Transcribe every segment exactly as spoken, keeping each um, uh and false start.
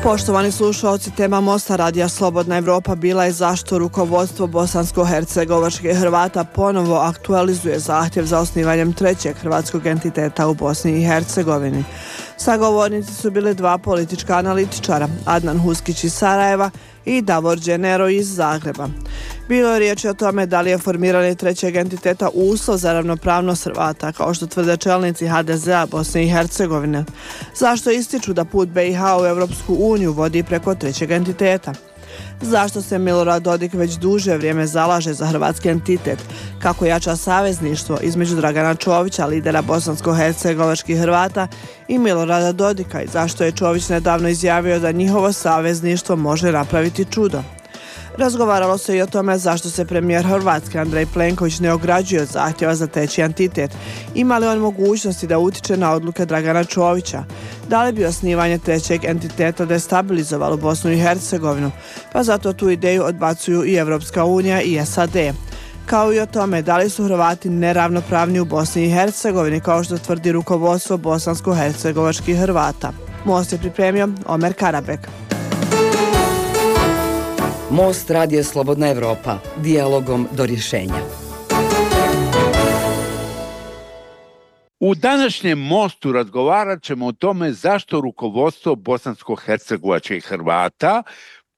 Poštovani slušalci, tema Mosta radija Slobodna Evropa bila je zašto rukovodstvo bosansko-hercegovačkih Hrvata ponovo aktualizuje zahtjev za osnivanjem trećeg hrvatskog entiteta u Bosni i Hercegovini. Sagovornici su bili dva politička analitičara, Adnan Huskić iz Sarajeva i Davor Dženero iz Zagreba. Bilo je riječi o tome da li je formiranje trećeg entiteta uslov za ravnopravnost Hrvata, kao što tvrde čelnici ha de zea Bosne i Hercegovine. Zašto ističu da put be i ha u Europsku uniju vodi preko trećeg entiteta? Zašto se Milorad Dodik već duže vrijeme zalaže za hrvatski entitet? Kako jača savezništvo između Dragana Čovića, lidera bosansko-hercegovačkih Hrvata, i Milorada Dodika, i zašto je Čović nedavno izjavio da njihovo savezništvo može napraviti čudo? Razgovaralo se i o tome zašto se premijer Hrvatske Andrej Plenković ne ograđuje od zahtjeva za treći entitet. Ima li on mogućnosti da utiče na odluke Dragana Čovića? Da li bi osnivanje trećeg entiteta destabilizovalo Bosnu i Hercegovinu? Pa zato tu ideju odbacuju i Evropska unija i es a de. Kao i o tome da li su Hrvati neravnopravni u Bosni i Hercegovini, kao što tvrdi rukovodstvo bosansko-hercegovačkih Hrvata. Most je pripremio Omer Karabek. Most radija Slobodna Evropa, dijalogom do rješenja. U današnjem Mostu razgovarat ćemo o tome zašto rukovodstvo bosansko-hercegovačkih Hrvata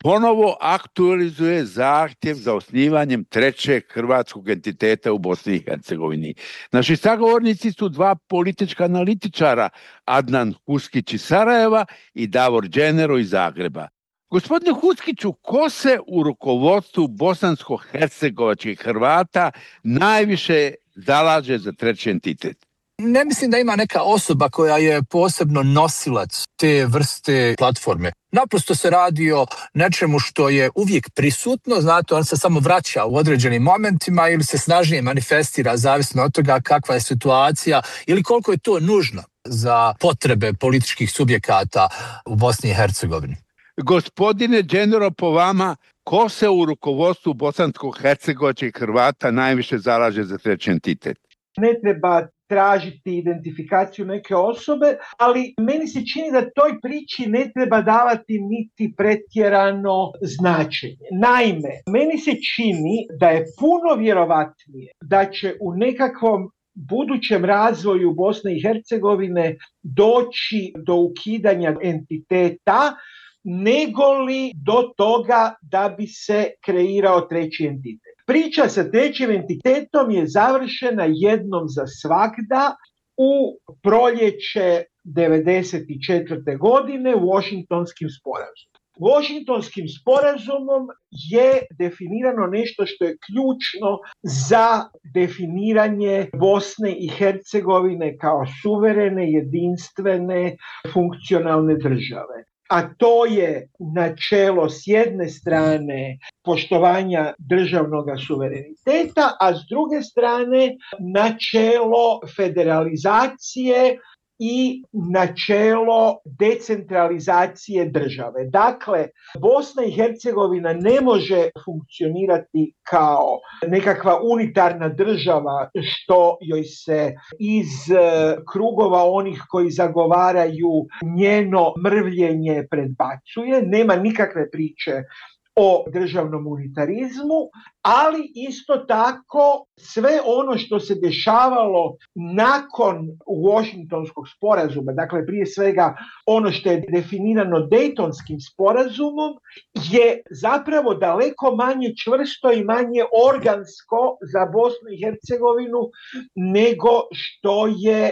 ponovo aktualizuje zahtjev za osnivanjem trećeg hrvatskog entiteta u Bosni i Hercegovini. Naši sagovornici su dva politička analitičara, Adnan Huskić iz Sarajeva i Davor Dženero iz Zagreba. Gospodine Huskiću, ko se u rukovodstvu bosansko-hercegovačkih Hrvata najviše zalaže za treći entitet? Ne mislim da ima neka osoba koja je posebno nosilac te vrste platforme. Naprosto se radi o nečemu što je uvijek prisutno, znate, on se samo vraća u određenim momentima ili se snažnije manifestira, zavisno od toga kakva je situacija ili koliko je to nužno za potrebe političkih subjekata u Bosni i Hercegovini. Gospodine Dženero, po vama, ko se u rukovodstvu bosansko-hercegovačkih Hrvata najviše zalaže za treći entitet? Ne treba tražiti identifikaciju neke osobe, ali meni se čini da toj priči ne treba davati niti pretjerano značenje. Naime, meni se čini da je puno vjerovatnije da će u nekakvom budućem razvoju Bosne i Hercegovine doći do ukidanja entiteta, nego li do toga da bi se kreirao treći entitet. Priča sa trećim entitetom je završena jednom za svagda u proljeće devedeset četvrte godine Washingtonskim sporazumom. Washingtonskim sporazumom je definirano nešto što je ključno za definiranje Bosne i Hercegovine kao suverene, jedinstvene, funkcionalne države. A to je načelo s jedne strane poštovanja državnog suvereniteta, a s druge strane načelo federalizacije i načelo decentralizacije države. Dakle, Bosna i Hercegovina ne može funkcionirati kao nekakva unitarna država što joj se iz krugova onih koji zagovaraju njeno mrvljenje predbacuje. Nema nikakve priče o državnom unitarizmu, ali isto tako sve ono što se dešavalo nakon Washingtonskog sporazuma, dakle prije svega ono što je definirano Dejtonskim sporazumom, je zapravo daleko manje čvrsto i manje organsko za Bosnu i Hercegovinu nego što je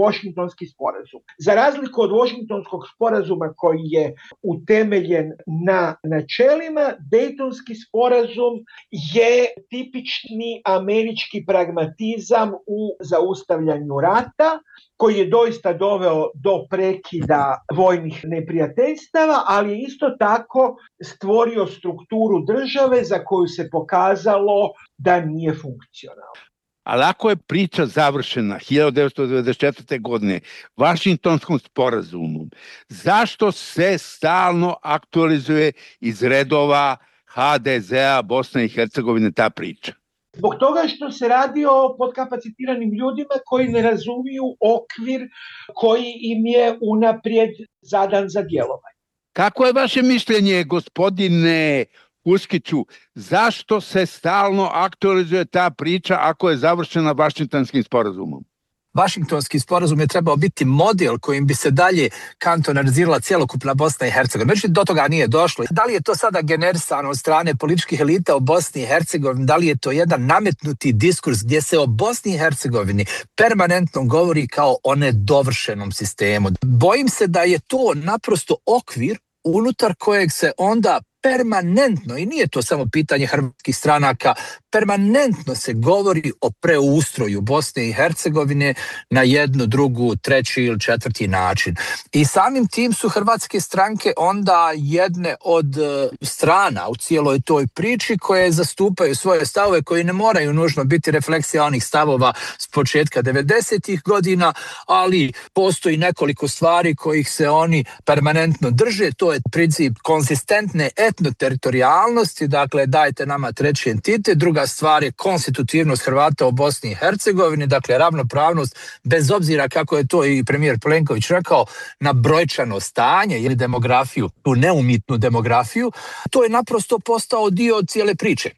Washingtonski sporazum. Za razliku od Washingtonskog sporazuma koji je utemeljen na načelima, Dejtonski sporazum je tipični američki pragmatizam u zaustavljanju rata, koji je doista doveo do prekida vojnih neprijateljstava, ali je isto tako stvorio strukturu države za koju se pokazalo da nije funkcionalna. Ali ako je priča završena hiljadu devetsto devedeset četvrte. godine Vašingtonskom sporazumom, zašto se stalno aktualizuje iz redova ha de zea Bosne i Hercegovine ta priča? Zbog toga što se radi o podkapacitiranim ljudima koji ne razumiju okvir koji im je unaprijed zadan za djelovanje. Kako je vaše mišljenje, gospodine Huskiću, zašto se stalno aktualizuje ta priča ako je završena Vašingtonskim sporazumom? Vašingtonski sporazum je trebao biti model kojim bi se dalje kantonalizirala cjelokupna Bosna i Hercegovina. Međutim, do toga nije došlo. Da li je to sada generisano od strane političkih elita u Bosni i Hercegovini? Da li je to jedan nametnuti diskurs gdje se o Bosni i Hercegovini permanentno govori kao o nedovršenom sistemu? Bojim se da je to naprosto okvir unutar kojeg se onda permanentno, i nije to samo pitanje hrvatskih stranaka, permanentno se govori o preustroju Bosne i Hercegovine na jednu, drugu, treći ili četvrti način. I samim tim su hrvatske stranke onda jedne od strana u cijeloj toj priči koje zastupaju svoje stavove koji ne moraju nužno biti refleksija onih stavova s početka devedesetih godina, ali postoji nekoliko stvari kojih se oni permanentno drže. To je princip konzistentne etnoteritorijalnosti, dakle dajte nama treći entitet. Druga stvar je konstitutivnost Hrvata u Bosni i Hercegovini, dakle ravnopravnost, bez obzira kako je to i premijer Plenković rekao, na brojčano stanje ili demografiju, tu neumitnu demografiju. To je naprosto postao dio cijele priče.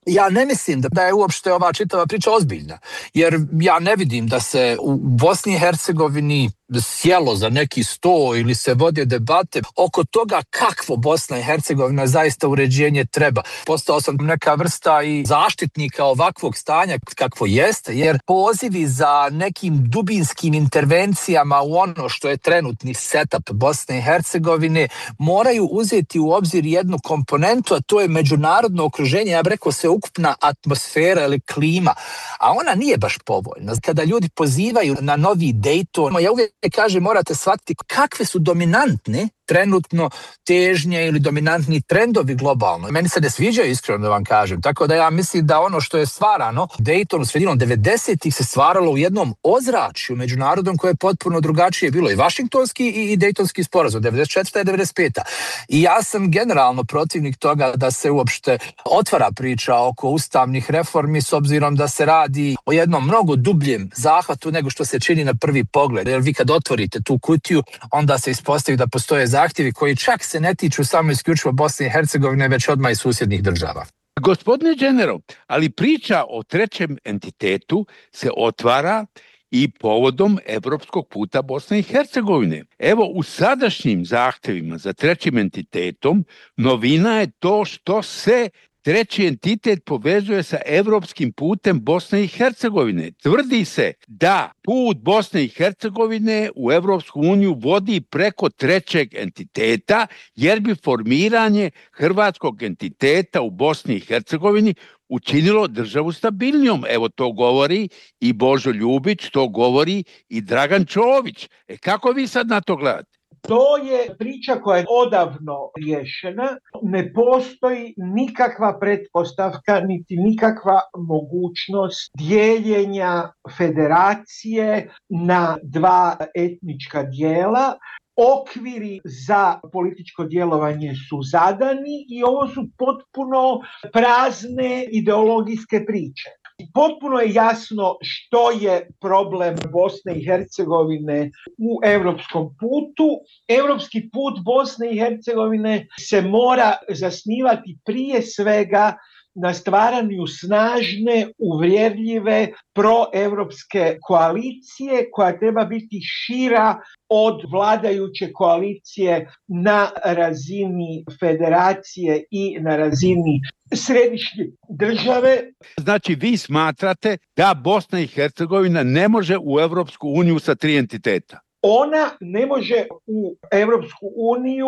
Ja ne mislim da je uopšte ova čitava priča ozbiljna, jer ja ne vidim da se u Bosni i Hercegovini sjelo za neki sto ili se vode debate oko toga kakvo Bosna i Hercegovina zaista uređenje treba. Postao sam neka vrsta i zaštitnika ovakvog stanja kakvo jeste, jer pozivi za nekim dubinskim intervencijama u ono što je trenutni setup Bosne i Hercegovine moraju uzeti u obzir jednu komponentu, a to je međunarodno okruženje, ja bih rekao se ukupna atmosfera ili klima, a ona nije baš povoljna. Kada ljudi pozivaju na novi Dayton, ja uvijek kažem, morate shvatiti kakve su dominantne trenutno težnje ili dominantni trendovi globalno. Meni se ne sviđaju, iskreno da vam kažem. Tako da ja mislim da ono što je stvarano Daytonu sredinom devedesetih se stvaralo u jednom ozračju međunarodnom koje je potpuno drugačije bilo i Vašingtonski i, i Daytonski sporazum, devedeset četvrta i devedeset peta I ja sam generalno protivnik toga da se uopšte otvara priča oko ustavnih reformi s obzirom da se radi o jednom mnogo dubljem zahvatu nego što se čini na prvi pogled. Jer vi kad otvorite tu kutiju, onda se ispostavi da postoje zahtjevi koji čak se ne tiču samo isključivo Bosne i Hercegovine, već odmah i susjednih država. Gospodine General, ali priča o trećem entitetu se otvara i povodom evropskog puta Bosne i Hercegovine. Evo, u sadašnjim zahtjevima za trećim entitetom novina je to što se treći entitet povezuje sa evropskim putem Bosne i Hercegovine. Tvrdi se da put Bosne i Hercegovine u Evropsku uniju vodi preko trećeg entiteta, jer bi formiranje hrvatskog entiteta u Bosni i Hercegovini učinilo državu stabilnijom. Evo, to govori i Božo Ljubić, to govori i Dragan Čović. E kako vi sad na to gledate? To je priča koja je odavno rješena. Ne postoji nikakva pretpostavka, niti nikakva mogućnost dijeljenja federacije na dva etnička dijela. Okviri za političko djelovanje su zadani i ovo su potpuno prazne ideologijske priče. Potpuno je jasno što je problem Bosne i Hercegovine u europskom putu. Europski put Bosne i Hercegovine se mora zasnivati prije svega na stvaranju snažne, uvjerljive, proevropske koalicije koja treba biti šira od vladajuće koalicije na razini federacije i na razini središnje države. Znači, vi smatrate da Bosna i Hercegovina ne može u Evropsku uniju sa tri entiteta? Ona ne može u Europsku uniju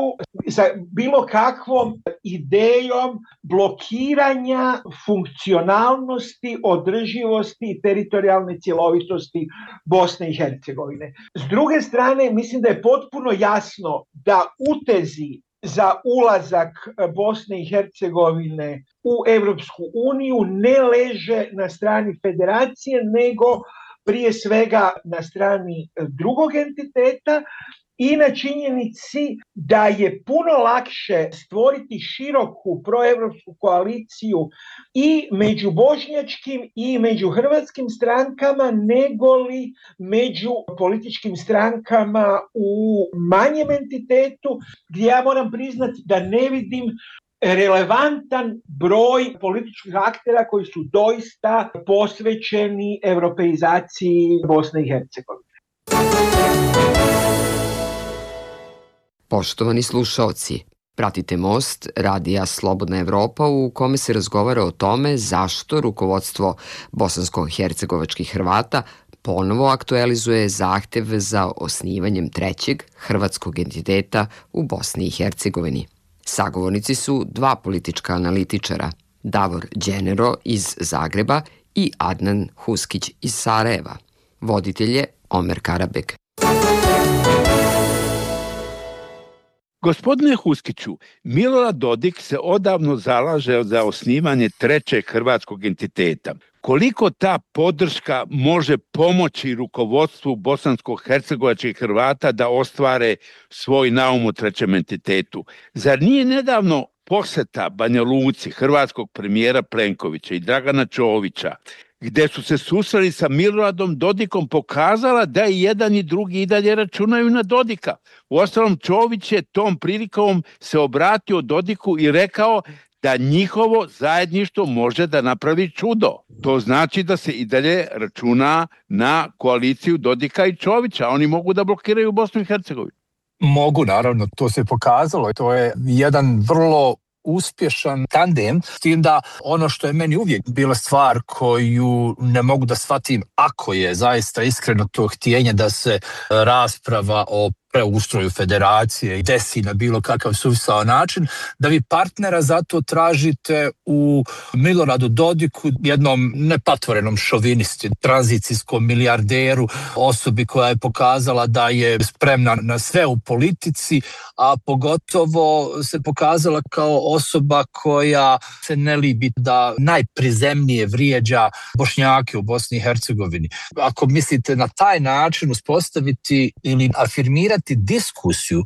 sa bilo kakvom idejom blokiranja funkcionalnosti, održivosti i teritorijalne cjelovitosti Bosne i Hercegovine. S druge strane, mislim da je potpuno jasno da utezi za ulazak Bosne i Hercegovine u Europsku uniju ne leže na strani federacije, nego prije svega na strani drugog entiteta i na činjenici da je puno lakše stvoriti široku proevropsku koaliciju i među bošnjačkim i među hrvatskim strankama nego li među političkim strankama u manjem entitetu, gdje ja moram priznati da ne vidim relevantan broj političkih aktera koji su doista posvećeni europeizaciji Bosne i Hercegovine. Poštovani slušaoci, pratite Most radija Slobodna Evropa u kome se razgovara o tome zašto rukovodstvo bosansko-hercegovačkih Hrvata ponovo aktualizuje zahtev za osnivanjem trećeg hrvatskog entiteta u Bosni i Hercegovini. Sagovornici su dva politička analitičara, Davor Đenero iz Zagreba i Adnan Huskić iz Sarajeva. Voditelj je Omer Karabek. Gospodine Huskiću, Milorad Dodik se odavno zalaže za osnivanje trećeg hrvatskog entiteta. Koliko ta podrška može pomoći rukovodstvu bosansko-hercegovačkih Hrvata da ostvare svoj naum u trećem entitetu? Zar nije nedavno poseta Banja Luci hrvatskog premijera Plenkovića i Dragana Čovića, gdje su se susreli sa Miloradom Dodikom, pokazala da i jedan i drugi i dalje računaju na Dodika? Uostalom, Čović je tom prilikom se obratio Dodiku i rekao da njihovo zajedništvo može da napravi čudo. To znači da se i dalje računa na koaliciju Dodika i Čovića. Oni mogu da blokiraju Bosnu i Hercegovinu. Mogu, naravno, to se pokazalo. To je jedan vrlo uspješan tandem, s tim da ono što je meni uvijek bila stvar koju ne mogu da shvatim, ako je zaista iskreno to htjenje da se rasprava o preustroju federacije desi na bilo kakav suvisao način, da vi partnera zato tražite u Miloradu Dodiku, jednom nepatvorenom šovinisti, tranzicijskom milijarderu, osobi koja je pokazala da je spremna na sve u politici, a pogotovo se pokazala kao osoba koja se ne libi da najprizemnije vrijeđa Bošnjake u Bosni i Hercegovini. Ako mislite na taj način uspostaviti ili afirmirati diskusiju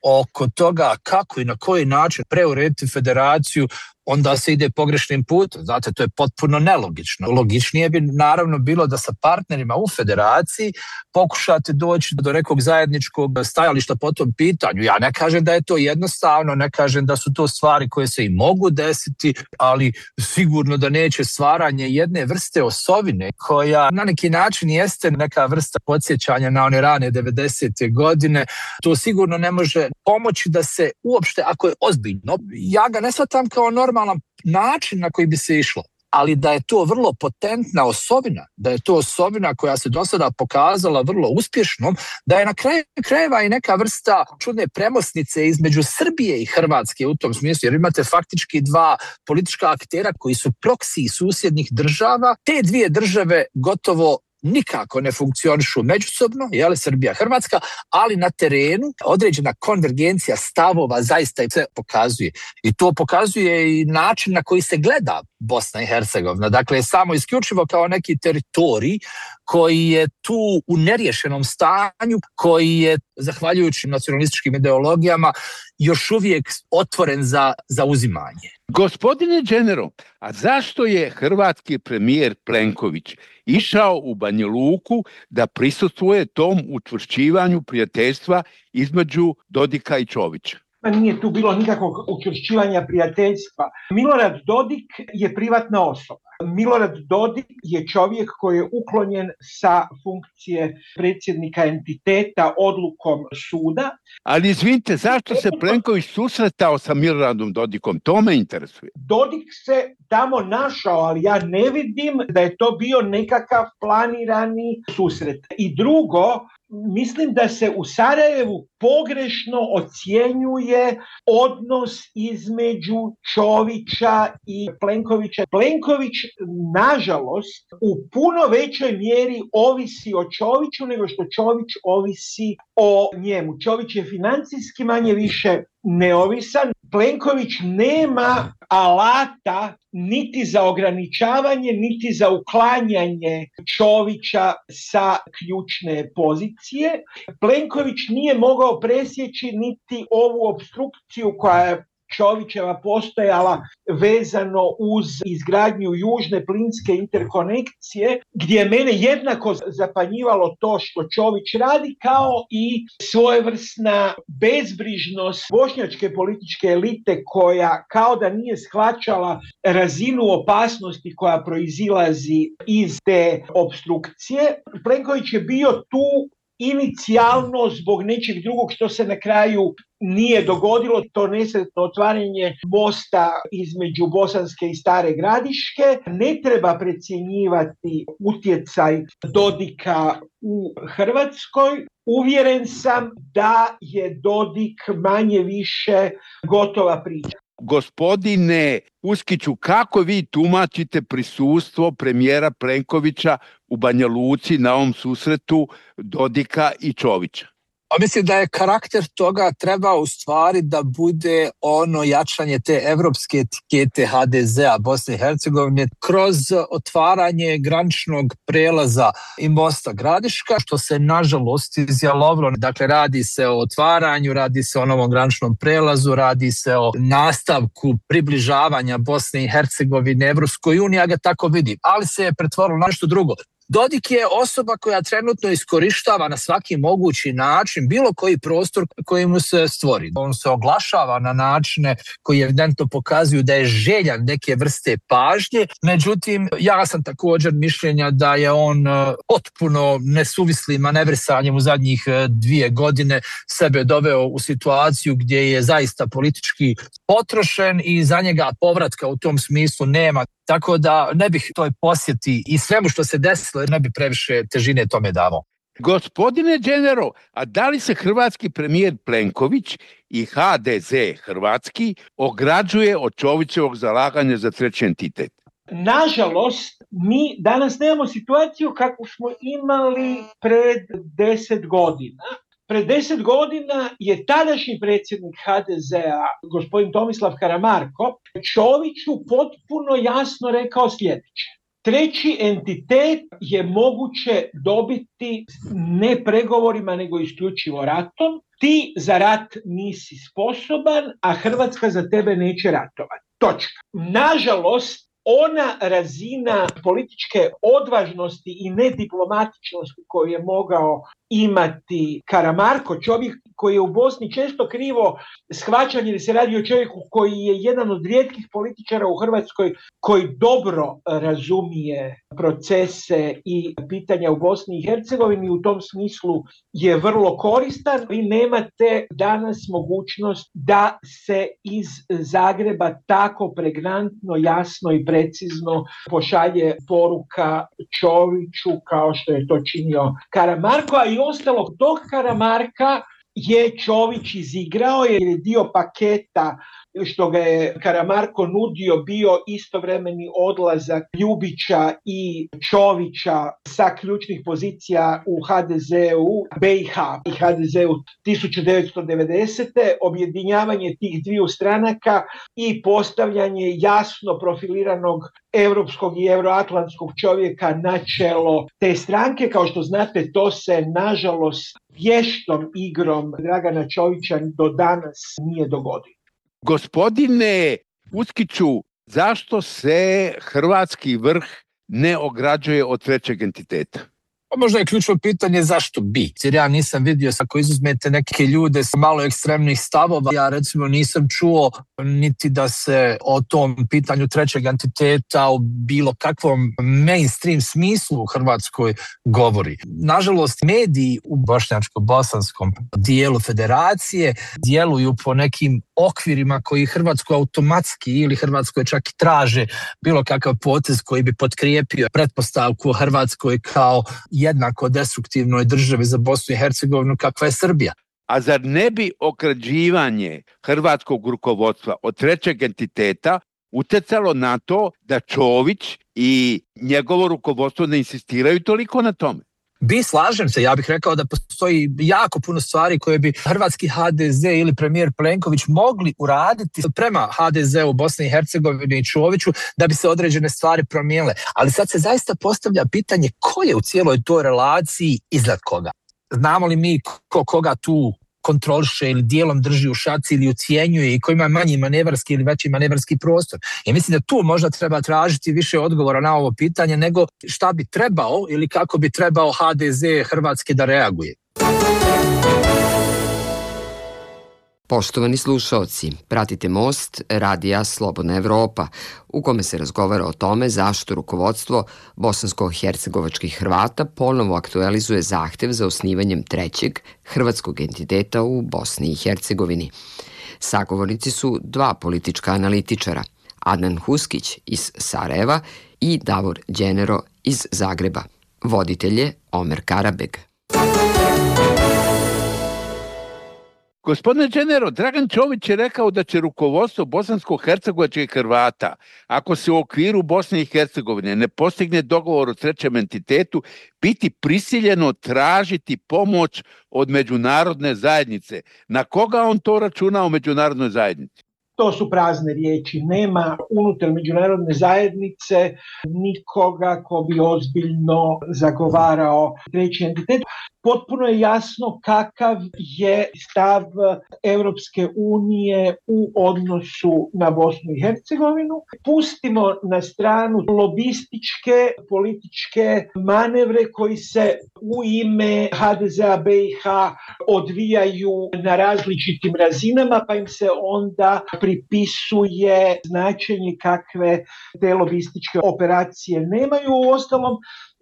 oko toga kako i na koji način preurediti federaciju, onda se ide pogrešnim putem. Znate, to je potpuno nelogično. Logičnije bi naravno bilo da sa partnerima u federaciji pokušate doći do nekog zajedničkog stajališta po tom pitanju. Ja ne kažem da je to jednostavno, ne kažem da su to stvari koje se i mogu desiti, ali sigurno da neće stvaranje jedne vrste osovine koja na neki način jeste neka vrsta podsjećanja na one rane devedesete godine. To sigurno ne može pomoći da se uopšte, ako je ozbiljno, ja ga ne shvatam kao normalan način na koji bi se išlo, ali da je to vrlo potentna osobina, da je to osobina koja se do sada pokazala vrlo uspješnom, da je na kraju krajeva i neka vrsta čudne premosnice između Srbije i Hrvatske u tom smislu, jer imate faktički dva politička aktera koji su proksiji susjednih država. Te dvije države gotovo nikako ne funkcionišu međusobno, jel, Srbija, Hrvatska, ali na terenu određena konvergencija stavova zaista se pokazuje. I to pokazuje i način na koji se gleda Bosna i Hercegovina. Dakle, samo isključivo kao neki teritorij koji je tu u neriješenom stanju, koji je, zahvaljujući nacionalističkim ideologijama, još uvijek otvoren za, za uzimanje. Gospodine Đenero, a zašto je hrvatski premijer Plenković išao u Banja Luku da prisustvuje tom učvršćivanju prijateljstva između Dodika i Čovića? Nije tu bilo nikakvog učvršćivanja prijateljstva. Milorad Dodik je privatna osoba. Milorad Dodik je čovjek koji je uklonjen sa funkcije predsjednika entiteta odlukom suda. Ali izvinite, zašto se Plenković susretao sa Miloradom Dodikom? To me interesuje. Dodik se tamo našao, ali ja ne vidim da je to bio nekakav planirani susret. I drugo, mislim da se u Sarajevu pogrešno ocjenjuje odnos između Čovića i Plenkovića. Plenković, nažalost, u puno većoj mjeri ovisi o Čoviću nego što Čović ovisi o njemu. Čović je financijski manje više neovisan. Plenković nema alata niti za ograničavanje, niti za uklanjanje Čovića sa ključne pozicije. Plenković nije mogao presjeći niti ovu opstrukciju koja je Čovićeva postojala vezano uz izgradnju južne plinske interkonekcije, gdje je mene jednako zapanjivalo to što Čović radi, kao i svojevrsna bezbrižnost bošnjačke političke elite koja kao da nije shvaćala razinu opasnosti koja proizilazi iz te opstrukcije. Plenković je bio tu inicijalno zbog nečeg drugog što se na kraju nije dogodilo, to nesretno otvaranje mosta između Bosanske i Stare Gradiške. Ne treba precjenjivati utjecaj Dodika u Hrvatskoj. Uvjeren sam da je Dodik manje više gotova priča. Gospodine Uskiću, kako vi tumačite prisustvo premijera Plenkovića u Banja Luci na ovom susretu Dodika i Čovića? A mislim da je karakter toga treba u stvari da bude ono jačanje te evropske etikete ha de zea Bosne i Hercegovine kroz otvaranje graničnog prelaza i mosta Gradiška, što se nažalost izjalovilo. Dakle, radi se o otvaranju, radi se o novom graničnom prelazu, radi se o nastavku približavanja Bosne i Hercegovine Evropskoj uniji, ja ga tako vidim, ali se je pretvorilo na nešto drugo. Dodik je osoba koja trenutno iskorištava na svaki mogući način bilo koji prostor koji mu se stvori. On se oglašava na načine koji evidentno pokazuju da je željan neke vrste pažnje. Međutim, ja sam također mišljenja da je on potpuno nesuvislim manevrisanjem u zadnjih dvije godine sebe doveo u situaciju gdje je zaista politički potrošen i za njega povratka u tom smislu nema. Tako da ne bih toj posjeti i svemu što se desilo, ne bi previše težine tome davao. Gospodine Đenero, a da li se hrvatski premijer Plenković i ha de ze hrvatski ograđuje od Čovićevog zalaganja za treći entitet? Nažalost, mi danas nemamo situaciju kakvu smo imali pred deset godina. Pred deset godina je tadašnji predsjednik ha de zea, gospodin Tomislav Karamarko, Čoviću potpuno jasno rekao sljedeće. Treći entitet je moguće dobiti ne pregovorima, nego isključivo ratom. Ti za rat nisi sposoban, a Hrvatska za tebe neće ratovati. Točka. Nažalost, ona razina političke odvažnosti i nediplomatičnosti koju je mogao imati Karamarko, čovjek koji je u Bosni često krivo shvaćan jer se radi o čovjeku koji je jedan od rijetkih političara u Hrvatskoj koji dobro razumije procese i pitanja u Bosni i Hercegovini, u tom smislu je vrlo koristan. Vi nemate danas mogućnost da se iz Zagreba tako pregnantno, jasno i precizno pošalje poruka Čoviću kao što je to činio Karamarko, a i ostalog tog Karamarka je Čović izigrao jer je dio paketa što ga je Karamarko nudio bio istovremeni odlazak Ljubića i Čovića sa ključnih pozicija u ha de zeu be i ha i ha de zeu tisuću devetsto devedesete. Objedinjavanje tih dviju stranaka i postavljanje jasno profiliranog europskog i euroatlantskog čovjeka na čelo te stranke. Kao što znate, to se nažalost vještom igrom Dragana Čovića do danas nije dogodilo. Gospodine Uskiću, zašto se hrvatski vrh ne ograđuje od trećeg entiteta? Možda je ključno pitanje zašto bi, jer ja nisam vidio, ako izuzmete neke ljude sa malo ekstremnih stavova, ja recimo nisam čuo niti da se o tom pitanju trećeg entiteta u bilo kakvom mainstream smislu u Hrvatskoj govori. Nažalost, mediji u bošnjačko-bosanskom dijelu federacije djeluju po nekim okvirima koji Hrvatskoj automatski ili Hrvatskoj čak i traže bilo kakav potez koji bi potkrijepio pretpostavku o Hrvatskoj kao jednako destruktivnoj državi za Bosnu i Hercegovinu kakva je Srbija. A zar ne bi ograđivanje hrvatskog rukovodstva od trećeg entiteta utjecalo na to da Čović i njegovo rukovodstvo ne insistiraju toliko na tome? Bi, slažem se, ja bih rekao da postoji jako puno stvari koje bi hrvatski ha de ze ili premijer Plenković mogli uraditi prema ha de ze u Bosni i Hercegovini i Čoviću da bi se određene stvari promijenile. Ali sad se zaista postavlja pitanje ko je u cijeloj toj relaciji iznad koga. Znamo li mi ko koga tu kontroliše ili dijelom drži u šaci ili ucijenjuje i ko ima manji manevarski ili veći manevarski prostor. I mislim da tu možda treba tražiti više odgovora na ovo pitanje nego šta bi trebao ili kako bi trebao ha de ze Hrvatske da reaguje. Poštovani slušaoci, pratite Most radija Slobodna Evropa, u kome se razgovara o tome zašto rukovodstvo bosansko-hercegovačkih Hrvata ponovo aktualizuje zahtev za osnivanjem trećeg hrvatskog entiteta u Bosni i Hercegovini. Sagovornici su dva politička analitičara, Adnan Huskić iz Sarajeva i Davor Đenero iz Zagreba. Voditelj je Omer Karabeg. Gospodine Đenero, Dragan Čović je rekao da će rukovodstvo bosansko-hercegovačkih Hrvata, ako se u okviru Bosne i Hercegovine ne postigne dogovor o trećem entitetu, biti prisiljeno tražiti pomoć od međunarodne zajednice. Na koga on to računa u međunarodnoj zajednici? To su prazne riječi. Nema unutar međunarodne zajednice nikoga ko bi ozbiljno zagovarao treći entitet. Potpuno je jasno kakav je stav Europske unije u odnosu na Bosnu i Hercegovinu. Pustimo na stranu lobističke političke manevre koji se u ime ha de zea be i ha odvijaju na različitim razinama, pa im se onda pripisuje značenje kakve te lobističke operacije nemaju. Uostalom,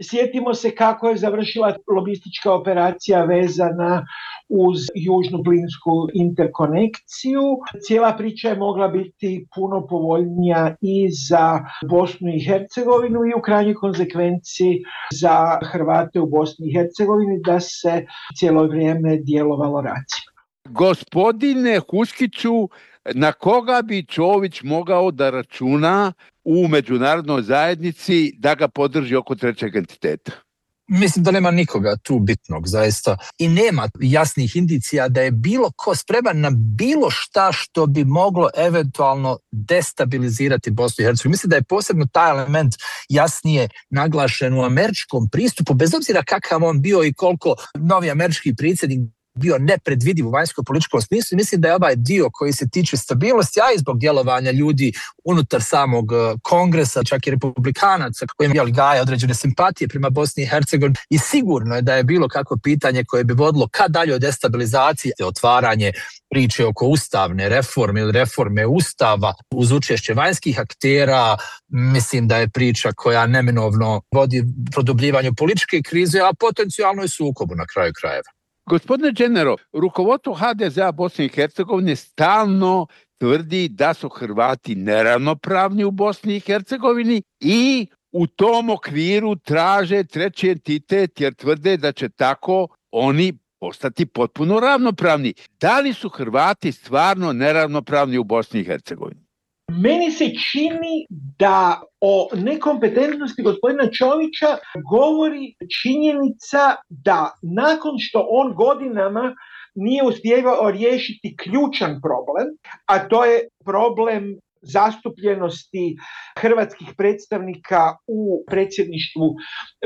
sjetimo se kako je završila lobistička operacija vezana uz južnu plinsku interkonekciju. Cijela priča je mogla biti puno povoljnija i za Bosnu i Hercegovinu i u krajnjoj konsekvenciji za Hrvate u Bosni i Hercegovini da se cijelo vrijeme djelovalo racionalno. Gospodine Huskiću, na koga bi Čović mogao da računa u međunarodnoj zajednici da ga podrži oko trećeg entiteta? Mislim da nema nikoga tu bitnog, zaista. I nema jasnih indicija da je bilo ko spreman na bilo šta što bi moglo eventualno destabilizirati Bosnu i Hercegovinu. Mislim da je posebno taj element jasnije naglašen u američkom pristupu, bez obzira kakav on bio i koliko novi američki predsjednik bio nepredvidiv u vanjsko-političkom smislu. Mislim da je ovaj dio koji se tiče stabilnosti, a i zbog djelovanja ljudi unutar samog kongresa, čak i republikanaca koji imali gaje određene simpatije prema Bosni i Hercegovini, i sigurno je da je bilo kakvo pitanje koje bi vodilo ka daljoj destabilizaciji, otvaranje priče oko ustavne reforme ili reforme ustava uz učešće vanjskih aktera. Mislim da je priča koja neminovno vodi produbljivanju političke krize, a potencijalno i sukobu na kraju krajeva. Gospodine Đenero, rukovodstvo ha de zea Bosne i Hercegovine stalno tvrdi da su Hrvati neravnopravni u Bosni i Hercegovini i u tom okviru traže treći entitet jer tvrde da će tako oni postati potpuno ravnopravni. Da li su Hrvati stvarno neravnopravni u Bosni i Hercegovini? Meni se čini da o nekompetentnosti gospodina Čovića govori činjenica da nakon što on godinama nije uspijevao riješiti ključan problem, a to je problem zastupljenosti hrvatskih predstavnika u predsjedništvu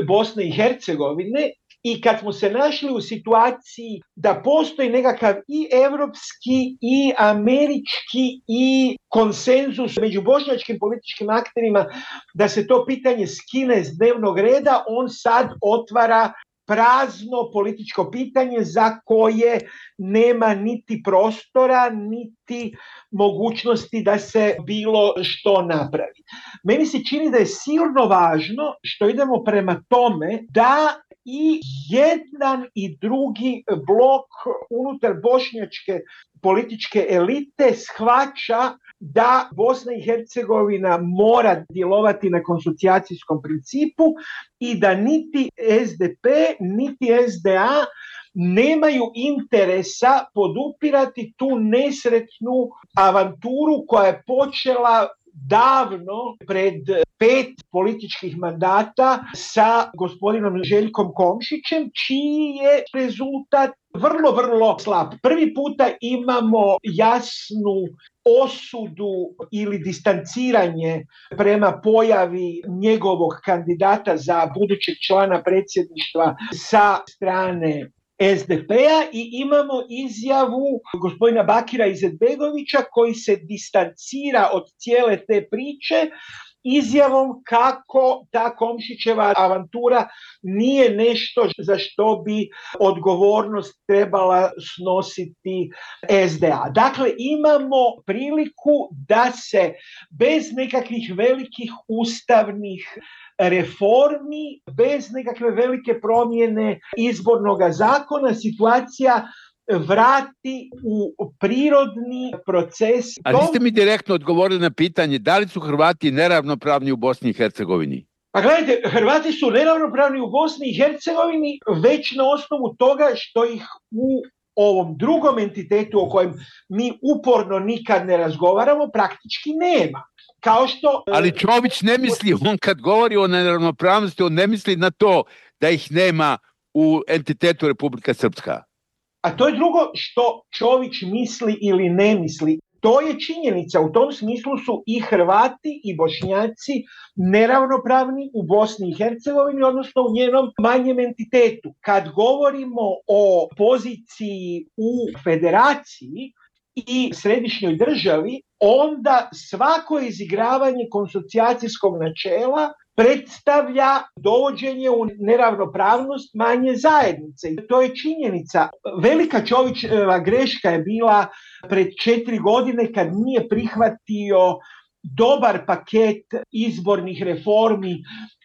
Bosne i Hercegovine, i kad smo se našli u situaciji da postoji nekakav i europski i američki i konsenzus među bošnjačkim političkim akterima da se to pitanje skine s dnevnog reda, on sad otvara prazno političko pitanje za koje nema niti prostora, niti mogućnosti da se bilo što napravi. Meni se čini da je silno važno što idemo prema tome da i jedan i drugi blok unutar bošnjačke političke elite shvaća da Bosna i Hercegovina mora djelovati na konsocijacijskom principu i da niti es de pe, niti es de a nemaju interesa podupirati tu nesretnu avanturu koja je počela davno pred pet političkih mandata sa gospodinom Željkom Komšićem, čiji je rezultat vrlo, vrlo slab. Prvi puta imamo jasnu osudu ili distanciranje prema pojavi njegovog kandidata za budućeg člana predsjedništva sa strane es de pe-a i imamo izjavu gospodina Bakira Izetbegovića koji se distancira od cijele te priče izjavom kako ta Komšićeva avantura nije nešto za što bi odgovornost trebala snositi es de a. Dakle, imamo priliku da se bez nekakvih velikih ustavnih reformi, bez nekakve velike promjene izbornog zakona, situacija vrati u prirodni proces. A niste mi direktno odgovorili na pitanje da li su Hrvati neravnopravni u Bosni i Hercegovini? Pa gledajte, Hrvati su neravnopravni u Bosni i Hercegovini već na osnovu toga što ih u ovom drugom entitetu o kojem mi uporno nikad ne razgovaramo praktički nema. Kao što, ali Čović ne misli, on kad govori o neravnopravnosti, on ne misli na to da ih nema u entitetu Republika Srpska. A to je drugo što Čović misli ili ne misli. To je činjenica. U tom smislu su i Hrvati i Bošnjaci neravnopravni u Bosni i Hercegovini, odnosno u njenom manjem entitetu. Kad govorimo o poziciji u federaciji i središnjoj državi, onda svako izigravanje konsocijacijskog načela predstavlja dovođenje u neravnopravnost manje zajednice. I to je činjenica. Velika Čovićeva greška je bila pred četiri godine kad nije prihvatio dobar paket izbornih reformi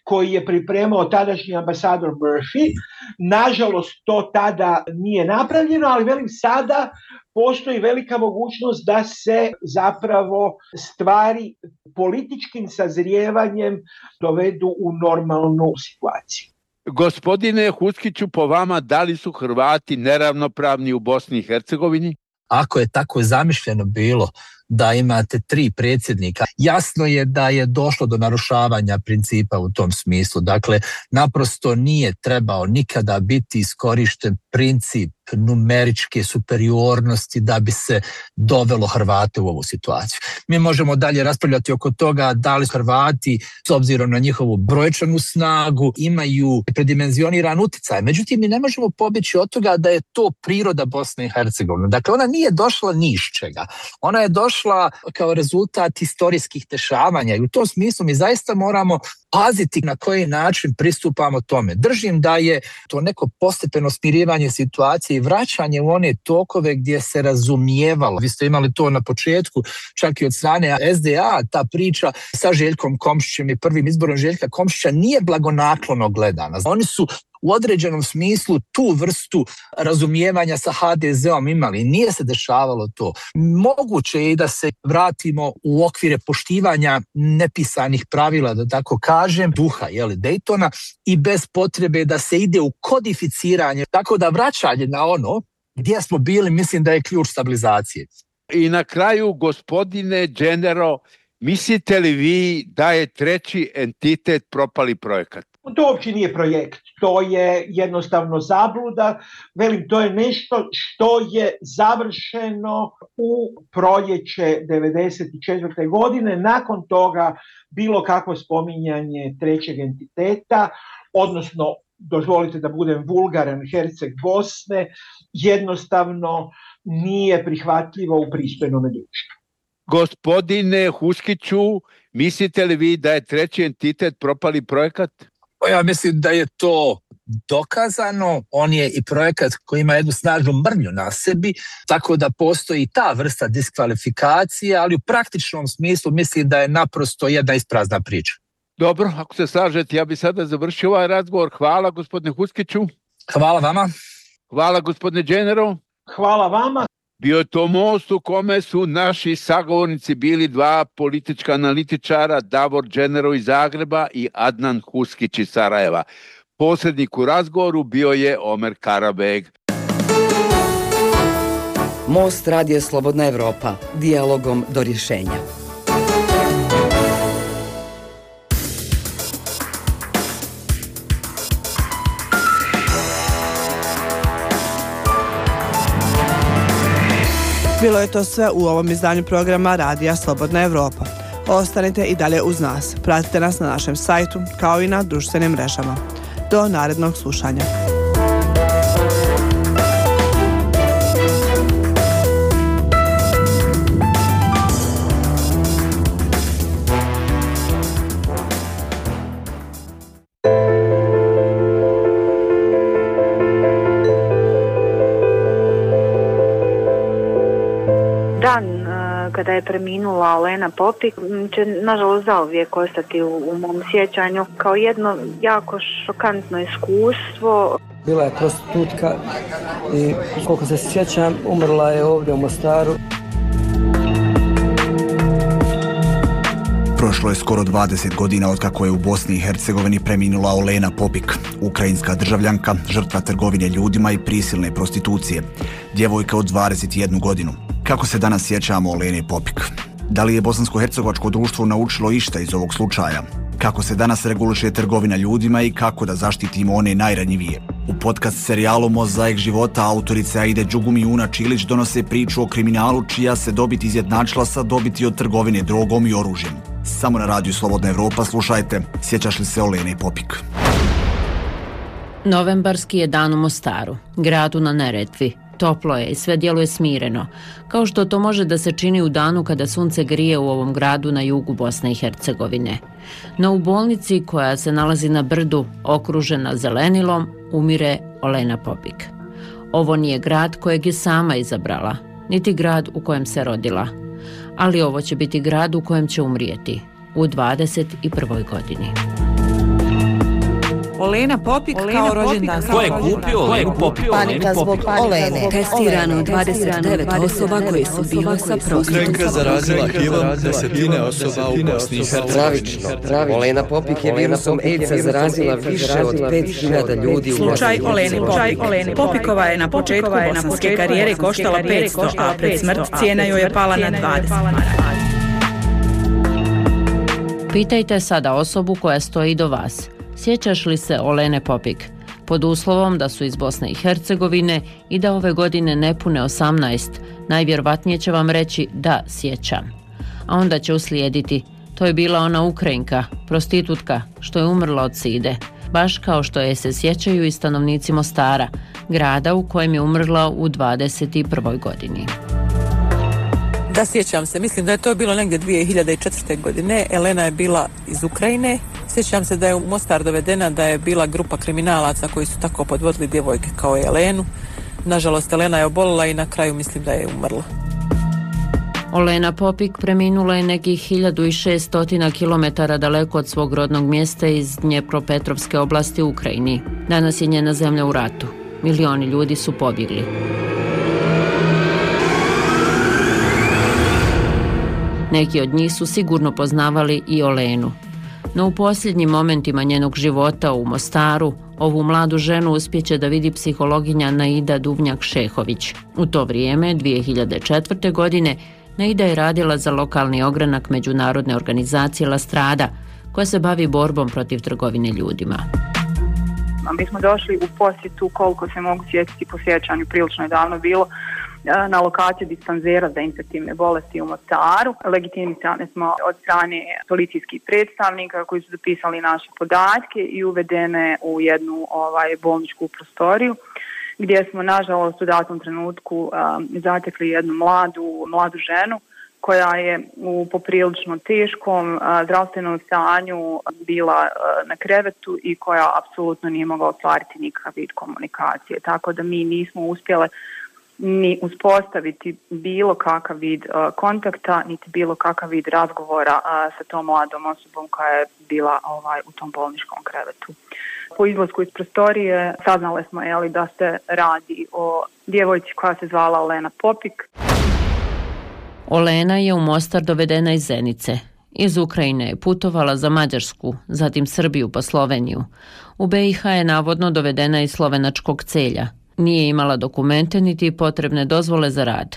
koji je pripremao tadašnji ambasador Murphy. Nažalost, to tada nije napravljeno, ali velim sada postoji velika mogućnost da se zapravo stvari političkim sazrijevanjem dovedu u normalnu situaciju. Gospodine Huskiću, po vama, da li su Hrvati neravnopravni u Bosni i Hercegovini? Ako je tako zamišljeno bilo da imate tri predsjednika, jasno je da je došlo do narušavanja principa u tom smislu. Dakle, naprosto nije trebao nikada biti iskorišten princip numeričke superiornosti da bi se dovelo Hrvate u ovu situaciju. Mi možemo dalje raspravljati oko toga da li Hrvati, s obzirom na njihovu brojčanu snagu, imaju predimenzioniran utjecaj. Međutim, mi ne možemo pobjeći od toga da je to priroda Bosne i Hercegovine. Dakle, ona nije došla ni iz čega. Ona je došla kao rezultat historijskih dešavanja i u tom smislu mi zaista moramo paziti na koji način pristupamo tome. Držim da je to neko postepeno smirivanje situacije i vraćanje u one tokove gdje se razumijevalo. Vi ste imali to na početku, čak i od strane es de a, ta priča sa Željkom Komšićem i prvim izborom Željka Komšića nije blagonaklono gledana. Oni su u određenom smislu tu vrstu razumijevanja sa ha de zeom imali. Nije se dešavalo to. Moguće je i da se vratimo u okvire poštivanja nepisanih pravila, da tako kažem, duha jeli, Daytona i bez potrebe da se ide u kodificiranje. Tako da vraćanje na ono gdje smo bili, mislim da je ključ stabilizacije. I na kraju, gospodine Dženero, mislite li vi da je treći entitet propali projekat? To uopće nije projekt, to je jednostavno zabluda. Velim, to je nešto što je završeno u proljeće devedeset četvrte godine. Nakon toga bilo kakvo spominjanje trećeg entiteta, odnosno, dozvolite da budem vulgaran, Herceg Bosne, jednostavno nije prihvatljivo u pristojnom društvu. Gospodine Huskiću, mislite li vi da je treći entitet propali projekat? Ja mislim da je to dokazano. On je i projekat koji ima jednu snažnu mrlju na sebi, tako da postoji ta vrsta diskvalifikacije, ali u praktičnom smislu mislim da je naprosto jedna isprazna priča. Dobro, ako se slažete, ja bih sada završio ovaj razgovor. Hvala gospodine Huskiću. Hvala vama. Hvala gospodine Dženero. Hvala vama. Bio je to most u kome su naši sagovornici bili dva politička analitičara, Davor Dženero iz Zagreba i Adnan Huskić iz Sarajeva. Posrednik u razgovoru bio je Omer Karabeg. Most Radija Slobodna Evropa. Dijalogom do rješenja. Bilo je to sve u ovom izdanju programa Radija Slobodna Evropa. Ostanite i dalje uz nas. Pratite nas na našem sajtu kao i na društvenim mrežama. Do narednog slušanja. Kada je preminula Olena Popik, će nažalost zauvijek ostati u, u mom sjećanju kao jedno jako šokantno iskustvo. Bila je prostitutka i koliko se sjećam, umrla je ovdje u Mostaru. Prošlo je skoro dvadeset godina od kako je u Bosni i Hercegovini preminula Olena Popik, ukrajinska državljanka, žrtva trgovine ljudima i prisilne prostitucije, djevojka od dvadeset jednu godinu. Kako se danas sjećamo Olene Popik? Da li je bosansko-hercegovačko društvo naučilo išta iz ovog slučaja? Kako se danas reguliše trgovina ljudima i kako da zaštitimo one najranjivije? U podcast serijalu Mozaik života autorice Aide Đugum i Una Čilić donose priču o kriminalu čija se dobit izjednačila sa dobiti od trgovine drogom i oružjem. Samo na radiju Slobodna Evropa slušajte Sjećaš li se Olene Popik? Novembarski je dan u Mostaru, gradu na Neretvi. Toplo je i sve djeluje smireno, kao što to može da se čini u danu kada sunce grije u ovom gradu na jugu Bosne i Hercegovine. No u bolnici koja se nalazi na brdu, okružena zelenilom, umire Olena Popik. Ovo nije grad kojeg je sama izabrala, niti grad u kojem se rodila. Ali ovo će biti grad u kojem će umrijeti, u dvadeset prvoj godini. Olena Popik kao rođendan. Ko je kupio Olenu Popik? Panika zbog Olene. Testirano dvadeset devet osoba koje su bile sa prostitutkom. Ukrajinka zarazila H I V-om desetine osoba u Bosni i Hercegovini. Pravično. Olena Popik je virusom AIDS-a zarazila više od pet hiljada ljudi u Bosni. Slučaj Olene Popik. Popikova je na početku bosanske karijere koštala petsto, a pred smrt cijena joj je pala na dvadeset maraka. Pitajte sada osobu koja stoji do vas. Sjećaš li se Olene Popik? Pod uslovom da su iz Bosne i Hercegovine i da ove godine ne pune osamnaest, najvjerovatnije će vam reći da sjećam. A onda će uslijediti, to je bila ona Ukrajinka, prostitutka, što je umrla od side, baš kao što je se sjećaju i stanovnici Mostara, grada u kojem je umrla u dvadeset prvoj godini. Da, sjećam se, mislim da je to bilo negdje dvije hiljade četvrte. godine, Elena je bila iz Ukrajine. Sjećam se da je u Mostar dovedena, da je bila grupa kriminalaca koji su tako podvodili djevojke kao i Elenu. Nažalost, Elena je obolila i na kraju mislim da je umrla. Olena Popik preminula je nekih hiljadu šesto kilometara daleko od svog rodnog mjesta iz Dnjepropetrovske oblasti u Ukrajini. Danas je njena zemlja u ratu. Milioni ljudi su pobjegli. Neki od njih su sigurno poznavali i Olenu. No u posljednjim momentima njenog života u Mostaru, ovu mladu ženu uspjeće da vidi psihologinja Naida Duvnjak-Šehović. U to vrijeme, dvije hiljade četvrte. godine, Naida je radila za lokalni ogranak međunarodne organizacije La Strada, koja se bavi borbom protiv trgovine ljudima. Mi smo došli u posjetu, koliko se mogu sjetiti po sjećanju, prilično je davno bilo, na lokaciju dispanzera za infektivne bolesti u Mostaru. Legitimisane smo od strane policijskih predstavnika koji su zapisali naše podatke i uvedene u jednu ovaj, bolničku prostoriju, gdje smo nažalost u datom trenutku um, zatekli jednu mladu, mladu ženu koja je u poprilično teškom uh, zdravstvenom stanju bila uh, na krevetu i koja apsolutno nije mogla ostvariti nikakav vid komunikacije. Tako da mi nismo uspjele ni uspostaviti bilo kakav vid uh, kontakta, niti bilo kakav vid razgovora uh, sa tom mladom osobom koja je bila ovaj, u tom bolničkom krevetu. Po izlasku iz prostorije saznali smo jeli, da se radi o djevojci koja se zvala Olena Popik. Olena je u Mostar dovedena iz Zenice. Iz Ukrajine je putovala za Mađarsku, zatim Srbiju pa Sloveniju. U B i H je navodno dovedena iz slovenačkog Celja. Nije imala dokumente niti potrebne dozvole za rad.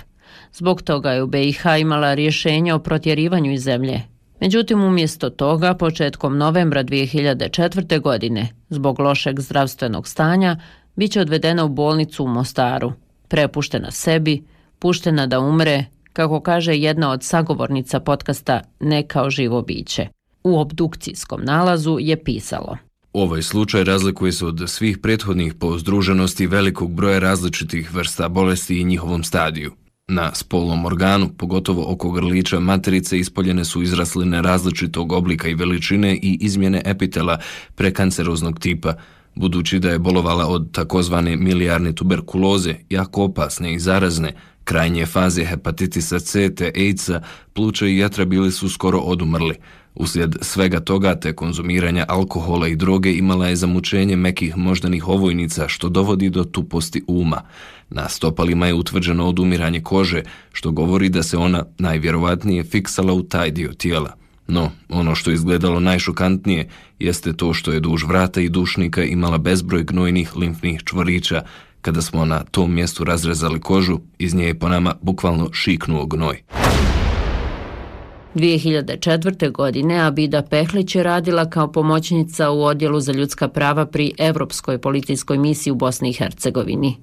Zbog toga je u B i H imala rješenje o protjerivanju iz zemlje. Međutim, umjesto toga, početkom novembra dvije hiljade četvrte. godine, zbog lošeg zdravstvenog stanja, bit će odvedena u bolnicu u Mostaru, prepuštena sebi, puštena da umre, kako kaže jedna od sagovornica podcasta Ne kao živo biće. U obdukcijskom nalazu je pisalo: Ovaj slučaj razlikuje se od svih prethodnih po združenosti velikog broja različitih vrsta bolesti i njihovom stadiju. Na spolnom organu, pogotovo oko grlića materice, ispoljene su izrasline različitog oblika i veličine i izmjene epitela prekanceroznog tipa, budući da je bolovala od takozvane milijarne tuberkuloze, jako opasne i zarazne, krajnje faze hepatitisa C te AIDS-a, pluća i jetra bili su skoro odumrli. Uslijed svega toga te konzumiranja alkohola i droge imala je zamučenje mekih moždanih ovojnica, što dovodi do tuposti uma. Na stopalima je utvrđeno odumiranje kože, što govori da se ona najvjerovatnije fiksala u taj dio tijela. No, ono što je izgledalo najšokantnije jeste to što je duž vrata i dušnika imala bezbroj gnojnih limfnih čvorića. Kada smo na tom mjestu razrezali kožu, iz nje je po nama bukvalno šiknuo gnoj. dvije hiljade četvrte. godine Abida Pehlić je radila kao pomoćnica u Odjelu za ljudska prava pri Evropskoj policijskoj misiji u Bosni i Hercegovini.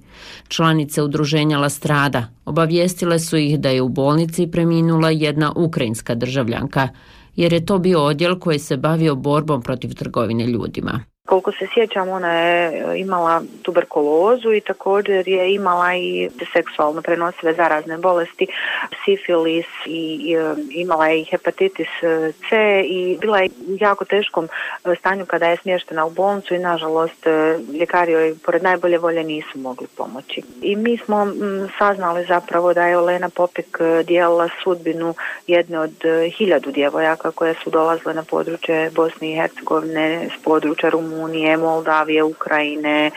Članice udruženja La Strada obavijestile su ih da je u bolnici preminula jedna ukrajinska državljanka, jer je to bio odjel koji se bavio borbom protiv trgovine ljudima. Koliko se sjećam, ona je imala tuberkulozu i također je imala i seksualno prenosive zarazne bolesti, sifilis i, i imala je i hepatitis C i bila je u jako teškom stanju kada je smještena u bolnicu i nažalost ljekari joj pored najbolje volje nisu mogli pomoći. I mi smo m, saznali zapravo da je Olena Popik dijelila sudbinu jedne od hiljadu djevojaka koje su dolazile na područje Bosne i Hercegovine s područja Rumunije, Unije, Moldavije, Ukrajine,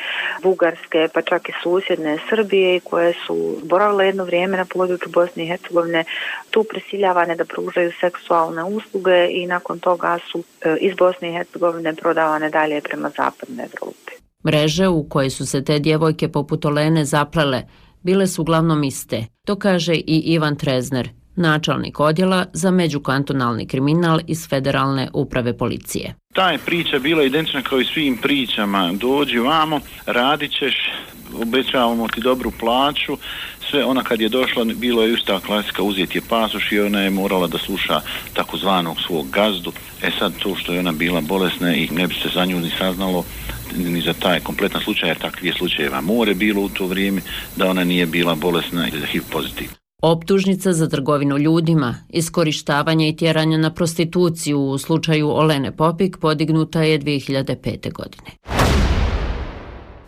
Bugarske, pa čak i susjedne Srbije, koje su boravile jedno vrijeme na području Bosne i Hercegovine, tu prisiljavane da pružaju seksualne usluge i nakon toga su iz Bosne i Hercegovine prodavane dalje prema zapadnoj Evropi. Mreže u koje su se te djevojke poput Olene zaplele bile su uglavnom iste. To kaže i Ivan Trezner, načelnik odjela za međukantonalni kriminal iz Federalne uprave policije. Ta je priča bila identična kao i svim pričama. Dođi vamo, radit ćeš, obećavamo ti dobru plaću. Sve ona kad je došla, bilo je ista klasika, uzeti je pasoš i ona je morala da sluša takozvanog svog gazdu. E sad to što je ona bila bolesna i ne bi se za nju ni saznalo ni za taj kompletan slučaj, jer takvih slučajeva more bilo u to vrijeme, da ona nije bila bolesna i da H I V pozitivna. Optužnica za trgovinu ljudima, iskorištavanje i tjeranje na prostituciju u slučaju Olene Popik podignuta je dvije hiljade pete. godine.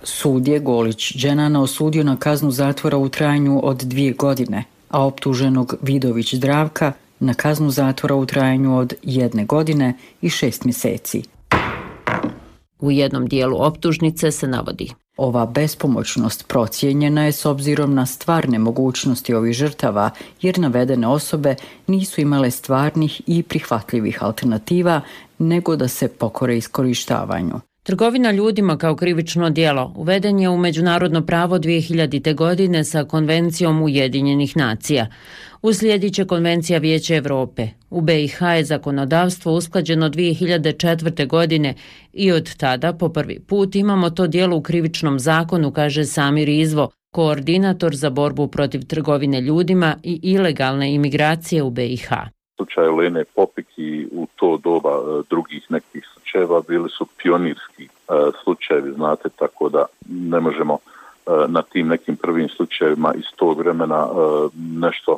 Sud je Golić Dženana osudio na kaznu zatvora u trajanju od dvije godine, a optuženog Vidović Zdravka na kaznu zatvora u trajanju od jedne godine i šest mjeseci. U jednom dijelu optužnice se navodi: ova bespomoćnost procijenjena je s obzirom na stvarne mogućnosti ovih žrtava, jer navedene osobe nisu imale stvarnih i prihvatljivih alternativa, nego da se pokore iskorištavanju. Trgovina ljudima kao krivično djelo uveden je u međunarodno pravo dvije hiljadite. godine sa Konvencijom Ujedinjenih nacija. Uslijedit će Konvencija Vijeća Europe. U B i H je zakonodavstvo usklađeno dvije hiljade četvrte. godine i od tada po prvi put imamo to djelo u krivičnom zakonu, kaže Samir Izvo, koordinator za borbu protiv trgovine ljudima i ilegalne imigracije u B i H. Slučaj Olene Popik i u to doba drugih nekih slučajeva bili su pionirski slučajevi, znate, tako da ne možemo na tim nekim prvim slučajevima iz tog vremena nešto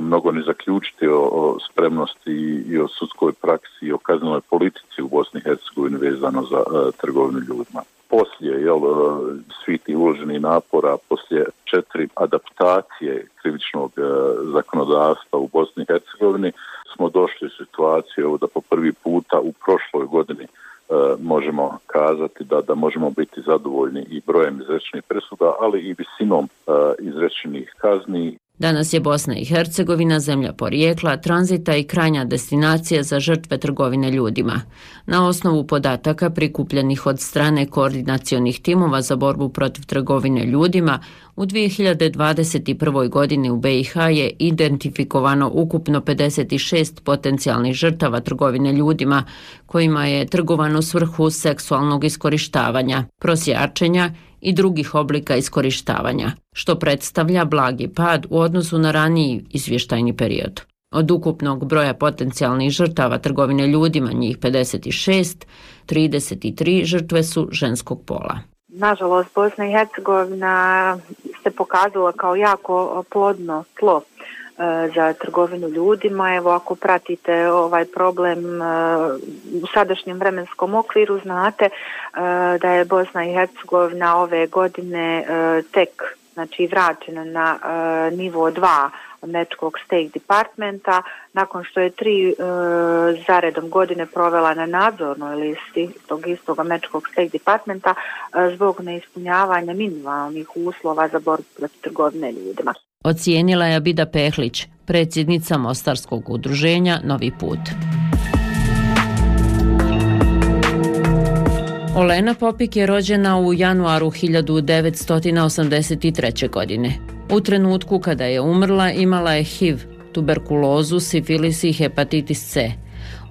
mnogo ne zaključiti o, o spremnosti i o sudskoj praksi i o kaznenoj politici u Bosni i Hercegovini vezano za uh, trgovinu ljudima. Poslije jel, svi ti uloženi napora, poslije četiri adaptacije krivičnog uh, zakonodavstva u Bosni i Hercegovini smo došli u situaciju da po prvi puta u prošloj godini uh, možemo kazati da, da možemo biti zadovoljni i brojem izrečenih presuda, ali i visinom uh, izrečenih kazni. Danas je Bosna i Hercegovina zemlja porijekla, tranzita i krajnja destinacija za žrtve trgovine ljudima. Na osnovu podataka prikupljenih od strane koordinacionih timova za borbu protiv trgovine ljudima, u dvije hiljade dvadeset prve. godini u B i H je identifikovano ukupno pedeset šest potencijalnih žrtava trgovine ljudima, kojima je trgovano u svrhu seksualnog iskorištavanja, prosjačenja i drugih oblika iskorištavanja, što predstavlja blagi pad u odnosu na raniji izvještajni period. Od ukupnog broja potencijalnih žrtava trgovine ljudima, njih pedeset šest, trideset tri žrtve su ženskog pola. Nažalost, Bosna i Hercegovina se pokazala kao jako plodno tlo za trgovinu ljudima. Evo, ako pratite ovaj problem u sadašnjem vremenskom okviru, znate da je Bosna i Hercegovina ove godine tek, znači, vraćena na nivo dva Američkog State Departmenta, nakon što je tri e, zaredom godine provela na nadzornoj listi tog istog Američkog State Departmenta e, zbog neispunjavanja minimalnih uslova za borbu protiv trgovine ljudima. Ocijenila je Abida Pehlić, predsjednica Mostarskog udruženja Novi put. Olena Popik je rođena u januaru hiljadu devetsto osamdeset treće. godine. U trenutku kada je umrla imala je H I V, tuberkulozu, sifilis i hepatitis C.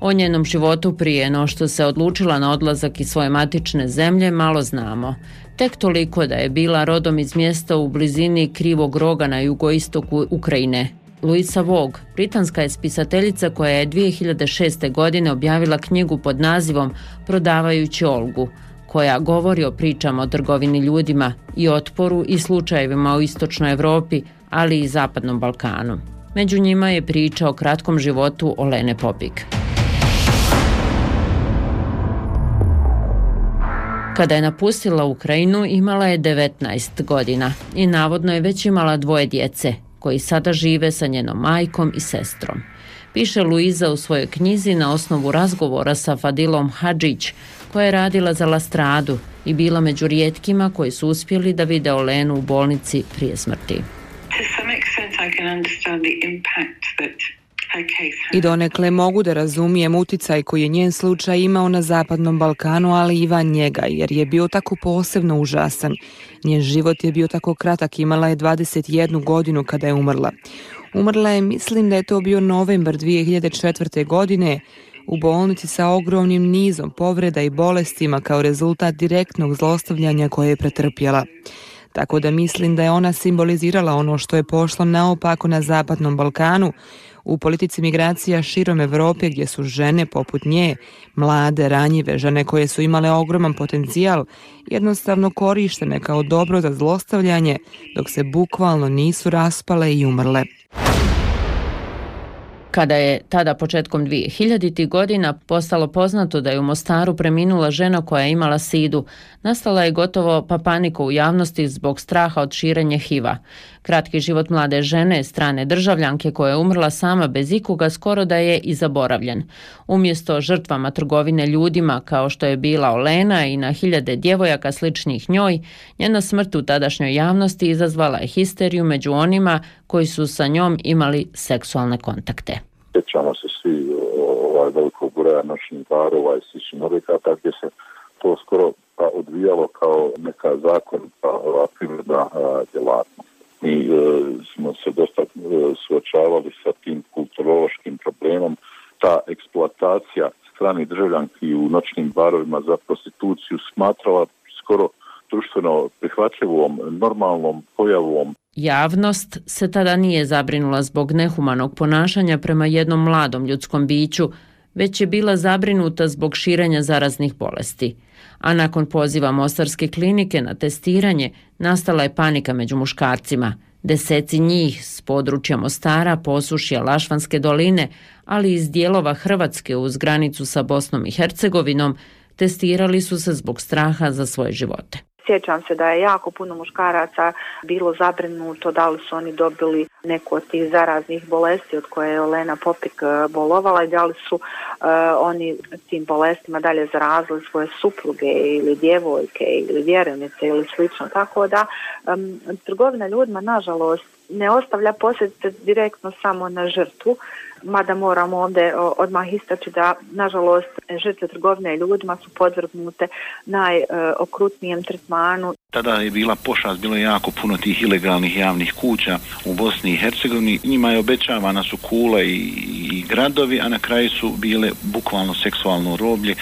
O njenom životu prije no što se odlučila na odlazak iz svoje matične zemlje malo znamo. Tek toliko da je bila rodom iz mjesta u blizini Krivog roga na jugoistoku Ukrajine. Louisa Vogue, britanska je spisateljica koja je dvije hiljade šeste. godine objavila knjigu pod nazivom Prodavajući Olgu, koja govori o pričama o trgovini ljudima i otporu i slučajevima u istočnoj Europi, ali i zapadnom Balkanu. Među njima je priča o kratkom životu Olene Popik. Kada je napustila Ukrajinu, imala je devetnaest godina i navodno je već imala dvoje djece, koji sada žive sa njenom majkom i sestrom. Piše Luiza u svojoj knjizi na osnovu razgovora sa Fadilom Hadžić, koja je radila za La Stradu i bila među rijetkima koji su uspjeli da vide Olenu u bolnici prije smrti. I donekle mogu da razumijem uticaj koji je njen slučaj imao na zapadnom Balkanu, ali i van njega, jer je bio tako posebno užasan. Njen život je bio tako kratak, imala je dvadeset jednu godinu kada je umrla. Umrla je, mislim da je to bio novembar dvije hiljade četvrte. godine, u bolnici sa ogromnim nizom povreda i bolestima kao rezultat direktnog zlostavljanja koje je pretrpjela. Tako da mislim da je ona simbolizirala ono što je pošlo naopako na zapadnom Balkanu, u politici migracija širom Evrope gdje su žene poput nje, mlade, ranjive, žene koje su imale ogroman potencijal, jednostavno korištene kao dobro za zlostavljanje, dok se bukvalno nisu raspale i umrle. Kada je tada početkom dvije hiljaditih. godina postalo poznato da je u Mostaru preminula žena koja je imala sidu, nastala je gotovo pa panika u javnosti zbog straha od širenja H I V-a. Kratki život mlade žene, strane državljanke koja je umrla sama bez ikoga, skoro da je i zaboravljen. Umjesto žrtvama trgovine ljudima kao što je bila Olena i na hiljade djevojaka sličnih njoj, njena smrt u tadašnjoj javnosti izazvala je histeriju među onima koji su sa njom imali seksualne kontakte. Sjećamo se svi ovaj velikog broja noćnih barova i sličnih objekata gdje se to skoro pa odvijalo kao neka zakonita privredna djelatnost. Mi e, smo se dosta e, suočavali sa tim kulturološkim problemom. Ta eksploatacija stranih državljanki u noćnim barovima za prostituciju smatrala skoro društveno prihvatljivom, normalnom pojavom. Javnost se tada nije zabrinula zbog nehumanog ponašanja prema jednom mladom ljudskom biću, već je bila zabrinuta zbog širenja zaraznih bolesti. A nakon poziva Mostarske klinike na testiranje, nastala je panika među muškarcima. Deseci njih s područja Mostara, Posušja, Lašvanske doline, ali iz dijelova Hrvatske uz granicu sa Bosnom i Hercegovinom, testirali su se zbog straha za svoje živote. Sjećam se da je jako puno muškaraca bilo zabrinuto da li su oni dobili neku od tih zaraznih bolesti od koje je Olena Popik bolovala i da li su uh, oni tim bolestima dalje zarazili svoje supruge ili djevojke ili vjerenice ili slično. Tako da um, trgovina ljudima nažalost ne ostavlja posljedice direktno samo na žrtvu, mada moramo ovdje odmah istaći da nažalost žrtve trgovine ljudima su podvrgnute najokrutnijem tretmanu. Tada je bila pošast, bilo je jako puno tih ilegalnih javnih kuća u Bosni i Hercegovini. Njima je obećavana su kula i, i gradovi, a na kraju su bile bukvalno seksualno roblje.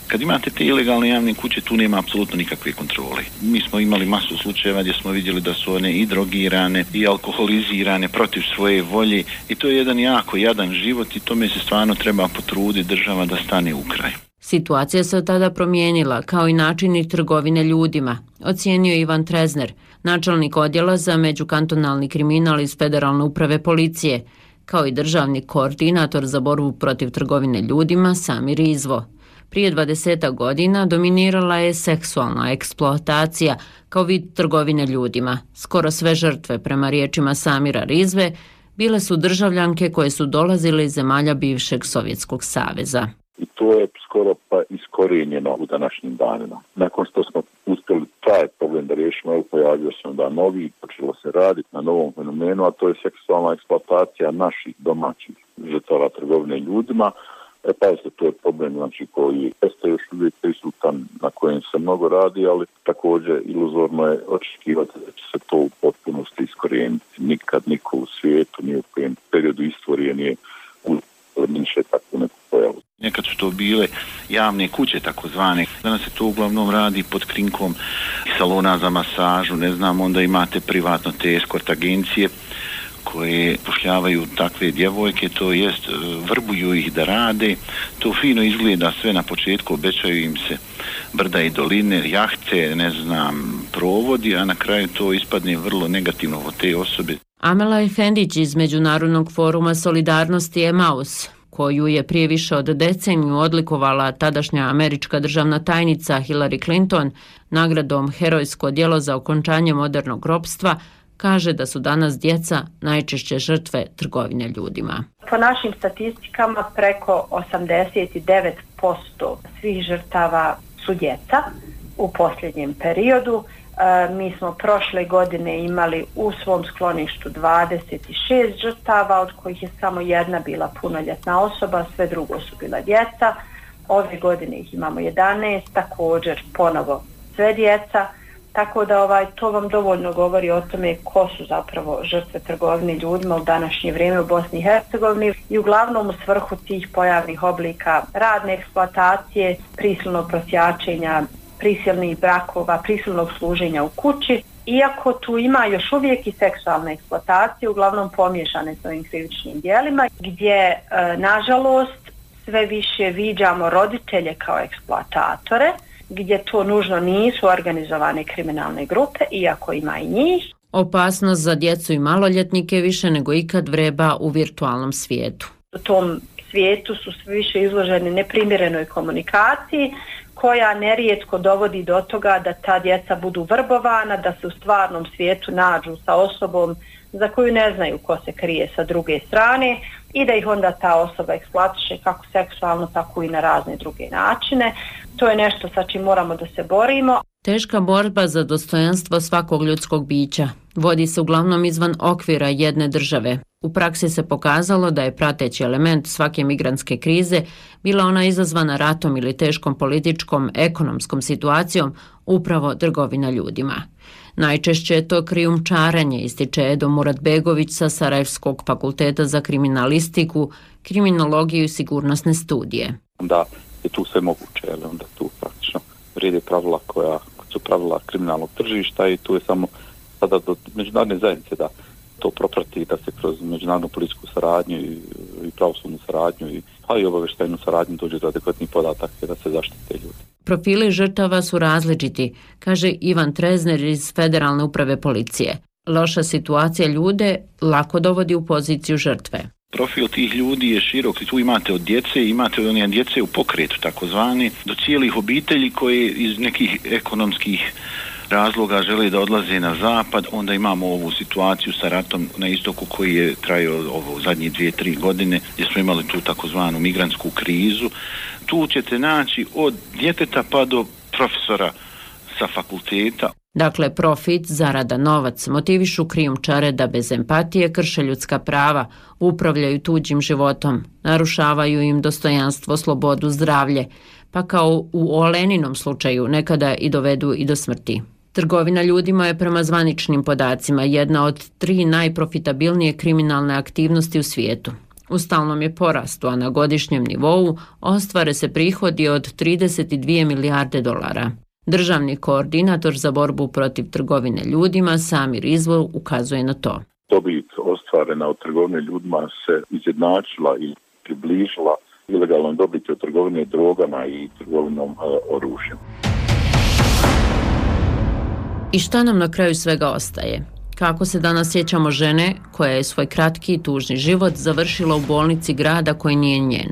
Kad imate te ilegalne javne kuće, tu nema apsolutno nikakve kontrole. Mi smo imali masu slučajeva gdje smo vidjeli da su one i drogirane i alkoholizirane protiv svoje volje i to je jedan jako jadan život i tome se stvarno treba potruditi država da stane u kraj. Situacija se od tada promijenila, kao i načini trgovine ljudima, ocijenio Ivan Trezner, načelnik odjela za međukantonalni kriminal iz Federalne uprave policije, kao i državni koordinator za borbu protiv trgovine ljudima Samir Izvo. Prije dvadesetak godina dominirala je seksualna eksploatacija kao vid trgovine ljudima. Skoro sve žrtve, prema riječima Samira Rizve, bile su državljanke koje su dolazile iz zemalja bivšeg Sovjetskog saveza. I to je skoro pa iskorijenjeno u današnjim danima. Nakon što smo uspjeli taj problem da riješimo, pojavio se onda novi, počelo se raditi na novom fenomenu, a to je seksualna eksploatacija naših domaćih žrtava trgovine ljudima. E pa se to je problem znači, koji jeste još uvijek prisutan, na kojem se mnogo radi, ali također iluzorno je očekivati da će se to u potpunosti iskorijeniti. Nikad niko u svijetu, nije u kojem periodu istorije nije uzminše takvu neku pojavu. Nekad su to bile javne kuće takozvane. Danas se to uglavnom radi pod krinkom salona za masažu, ne znam, onda imate privatno te eskort agencije koje pošljavaju takve djevojke, to jest vrbuju ih da rade. To fino izgleda sve na početku, obećaju im se brda i doline, jahte, ne znam, provodi, a na kraju to ispadne vrlo negativno od te osobe. Amela Efendić iz Međunarodnog foruma solidarnosti Emaus, koju je prije više od deceniju odlikovala tadašnja američka državna tajnica Hillary Clinton nagradom Herojsko djelo za okončanje modernog ropstva, kaže da su danas djeca najčešće žrtve trgovine ljudima. Po našim statistikama preko osamdeset devet posto svih žrtava su djeca u posljednjem periodu. E, mi smo prošle godine imali u svom skloništu dvadeset šest žrtava, od kojih je samo jedna bila punoljetna osoba, sve drugo su bila djeca. Ove godine ih imamo jedanaest, također ponovo sve djeca. Tako da ovaj, to vam dovoljno govori o tome ko su zapravo žrtve trgovine ljudima u današnje vrijeme u Bosni i Hercegovini i uglavnom u svrhu tih pojavnih oblika radne eksploatacije, prisilnog prosjačenja, prisilnih brakova, prisilnog služenja u kući. Iako tu ima još uvijek i seksualne eksploatacije, uglavnom pomiješane s ovim krivičnim djelima, gdje e, nažalost sve više viđamo roditelje kao eksploatatore, gdje to nužno nisu organizovane kriminalne grupe, iako ima i njih. Opasnost za djecu i maloljetnike više nego ikad vreba u virtualnom svijetu. U tom svijetu su sve više izloženi neprimjerenoj komunikaciji, koja nerijetko dovodi do toga da ta djeca budu vrbovana, da se u stvarnom svijetu nađu sa osobom za koju ne znaju ko se krije sa druge strane i da ih onda ta osoba eksploatiše kako seksualno, tako i na razne druge načine. To je nešto sa čim moramo da se borimo. Teška borba za dostojanstvo svakog ljudskog bića vodi se uglavnom izvan okvira jedne države. U praksi se pokazalo da je prateći element svake migrantske krize bila ona izazvana ratom ili teškom političkom, ekonomskom situacijom, upravo trgovina ljudima. Najčešće je to krijumčarenje, ističe Edo Muratbegović sa Sarajevskog fakulteta za kriminalistiku, kriminologiju i sigurnosne studije. Da je tu sve moguće, ali onda tu praktično vrijede pravila koja su pravila kriminalnog tržišta i tu je samo sada do međunarodne zajednice da to proprati, da se kroz međunarodnu policijsku saradnju i, i pravosudnu saradnju i, pa i obavještajnu saradnju dođe do adekvatnih podataka da se zaštite ljudi. Profili žrtava su različiti, kaže Ivan Trezner iz Federalne uprave policije. Loša situacija ljude lako dovodi u poziciju žrtve. Profil tih ljudi je širok, tu imate od djece, imate od one djece u pokretu takozvani, do cijelih obitelji koje iz nekih ekonomskih razloga žele da odlaze na zapad, onda imamo ovu situaciju sa ratom na istoku koji je trajao ovo zadnje dvije, tri godine, gdje smo imali tu takozvanu migrantsku krizu. Tu ćete naći od djeteta pa do profesora sa fakulteta. Dakle, profit, zarada, novac motivišu krijumčare da bez empatije krše ljudska prava, upravljaju tuđim životom, narušavaju im dostojanstvo, slobodu, zdravlje, pa kao u Oleninom slučaju nekada i dovedu i do smrti. Trgovina ljudima je prema zvaničnim podacima jedna od tri najprofitabilnije kriminalne aktivnosti u svijetu. U stalnom je porastu, a na godišnjem nivou ostvare se prihodi od trideset dvije milijarde dolara. Državni koordinator za borbu protiv trgovine ljudima Samir Izvor ukazuje na to. Dobit ostvarena od trgovine ljudima se izjednačila i približila ilegalnom dobiti od trgovine drogama i trgovinom uh, oružjem. I šta nam na kraju svega ostaje? Kako se danas sjećamo žene koja je svoj kratki i tužni život završila u bolnici grada koji nije njen?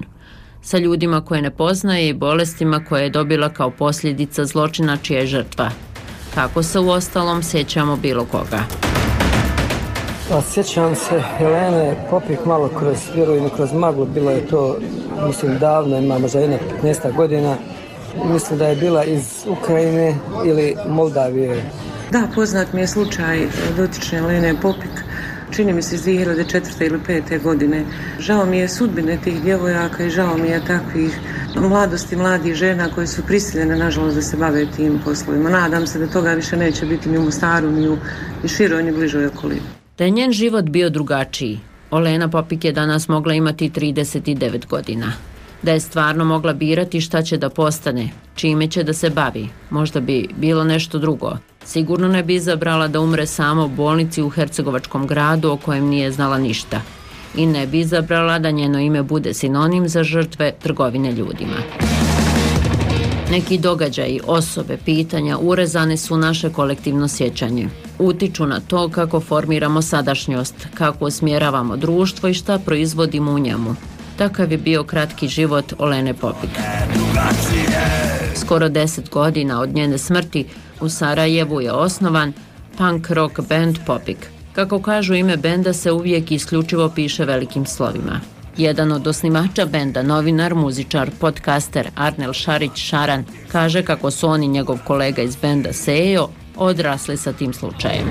Sa ljudima koje ne poznaje i bolestima koje je dobila kao posljedica zločina čija je žrtva. Kako se uostalom sjećamo bilo koga? A sjećam se Helene Popik malo kroz vjerujem kroz maglu, bilo je to, mislim, davno, ima možda jedna petnaest godina. Mislim da je bila iz Ukrajine ili Moldavije. Da, poznat mi je slučaj dotične Helene Popik, čini mi se iz dvije hiljade četvrte ili pete godine. Žao mi je sudbine tih djevojaka i žao mi je takvih mladosti, mladih žena koje su prisiljene, nažalost, da se bave tim poslovima. Nadam se da toga više neće biti ni u Mostaru, ni u ni široj, ni bližoj okolini. Da je njen život bio drugačiji, Olena Popik je danas mogla imati trideset devet godina. Da je stvarno mogla birati šta će da postane, čime će da se bavi, možda bi bilo nešto drugo. Sigurno ne bi izabrala da umre sama u bolnici u hercegovačkom gradu o kojem nije znala ništa. I ne bi izabrala da njeno ime bude sinonim za žrtve trgovine ljudima. Neki događaji, osobe, pitanja urezane su naše kolektivno sjećanje. Utiču na to kako formiramo sadašnjost, kako usmjeravamo društvo i šta proizvodimo u njemu. Takav je bio kratki život Olene Popik. Skoro deset godina od njene smrti u Sarajevu je osnovan punk rock band Popik. Kako kažu, ime benda se uvijek isključivo piše velikim slovima. Jedan od osnivača benda, novinar, muzičar, podcaster Arnel Šarić Šaran, kaže kako su on i njegov kolega iz benda Sejo odrasli sa tim slučajem.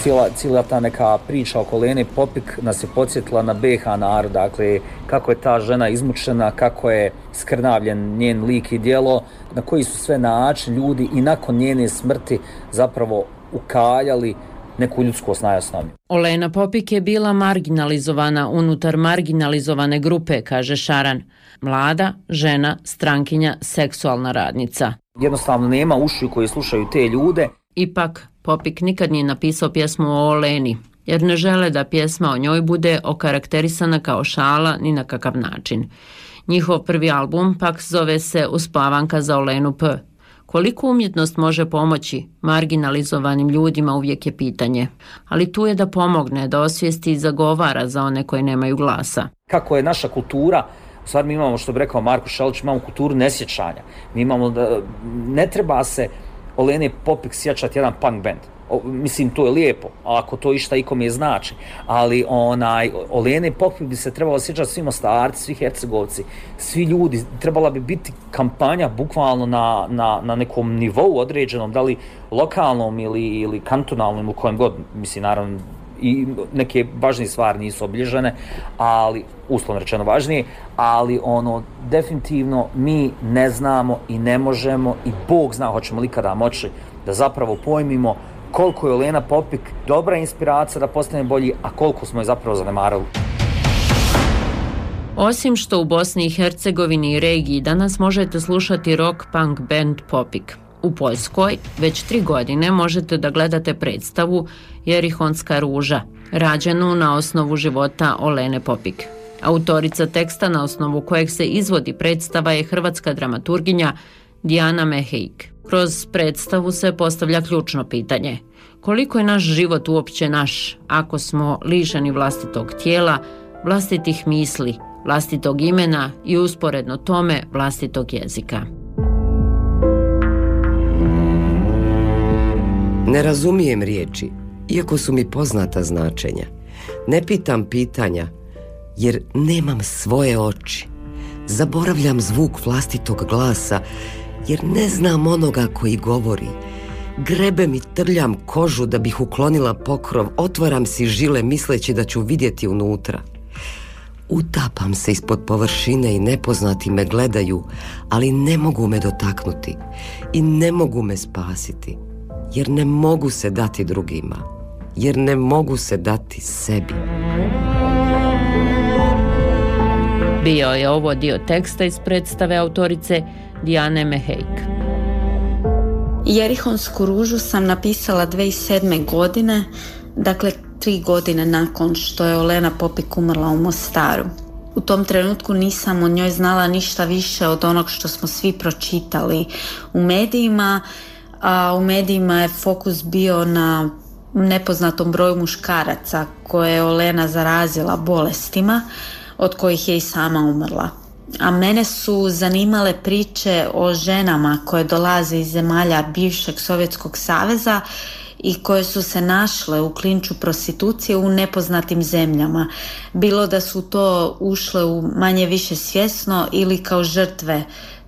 Cijela, cijela ta neka priča oko Lene Popik nas je podsjetila na B H narod, dakle kako je ta žena izmučena, kako je skrnavljen njen lik i djelo, na koji su sve način ljudi i nakon njene smrti zapravo ukaljali neku ljudskost najosnovniju. Olena Popik je bila marginalizovana unutar marginalizovane grupe, kaže Šaran. Mlada, žena, strankinja, seksualna radnica. Jednostavno nema ušiju koji slušaju te ljude. Ipak, Popik nikad nije napisao pjesmu o Oleni, jer ne žele da pjesma o njoj bude okarakterisana kao šala ni na kakav način. Njihov prvi album pak zove se Uspavanka za Olenu P. Koliko umjetnost može pomoći marginalizovanim ljudima uvijek je pitanje, ali tu je da pomogne, da osvijesti i zagovara za one koji nemaju glasa. Kako je naša kultura, u stvari mi imamo, što bi rekao Marko Šelić, imamo kulturu nesjećanja. Mi imamo da ne treba se Olene Popik sjećati jedan punk band. O, mislim, to je lijepo, ako to išta ikom je znači, ali onaj, Olene Popik bi se trebalo sjećati svi Mostarci, svi Hercegovci, svi ljudi, trebala bi biti kampanja bukvalno na, na, na nekom nivou određenom, da li lokalnom ili, ili kantonalnom, u kojem god, mislim, naravno, i neke važnije stvari nisu obilježene, ali, uslovno rečeno važnije, ali ono, definitivno mi ne znamo i ne možemo i Bog zna hoćemo li kada moći da zapravo pojmimo koliko je Olena Popik dobra inspiracija da postane bolji, a koliko smo je zapravo zanemarili. Osim što u Bosni i Hercegovini i regiji danas možete slušati rock punk band Popik. U Poljskoj već tri godine možete da gledate predstavu Jerihonska ruža, rađenu na osnovu života Olene Popik. Autorica teksta na osnovu kojeg se izvodi predstava je hrvatska dramaturginja Dijana Mehejk. Kroz predstavu se postavlja ključno pitanje: koliko je naš život uopće naš ako smo lišeni vlastitog tijela, vlastitih misli, vlastitog imena i usporedno tome vlastitog jezika. Ne razumijem riječi, iako su mi poznata značenja. Ne pitam pitanja, jer nemam svoje oči. Zaboravljam zvuk vlastitog glasa, jer ne znam onoga koji govori. Grebem i trljam kožu da bih uklonila pokrov, otvaram si žile misleći da ću vidjeti unutra. Utapam se ispod površine i nepoznati me gledaju, ali ne mogu me dotaknuti i ne mogu me spasiti, jer ne mogu se dati drugima, jer ne mogu se dati sebi. Bio je ovo dio teksta iz predstave autorice Dijane Mehejk. Jerihonsku ružu sam napisala dvije hiljade sedme. godine, dakle tri godine nakon što je Olena Popik umrla u Mostaru. U tom trenutku nisam o njoj znala ništa više od onog što smo svi pročitali u medijima, a u medijima je fokus bio na nepoznatom broju muškaraca koje je Olena zarazila bolestima, od kojih je i sama umrla. A mene su zanimale priče o ženama koje dolaze iz zemalja bivšeg Sovjetskog saveza i koje su se našle u klinču prostitucije u nepoznatim zemljama. Bilo da su to ušle u manje više svjesno ili kao žrtve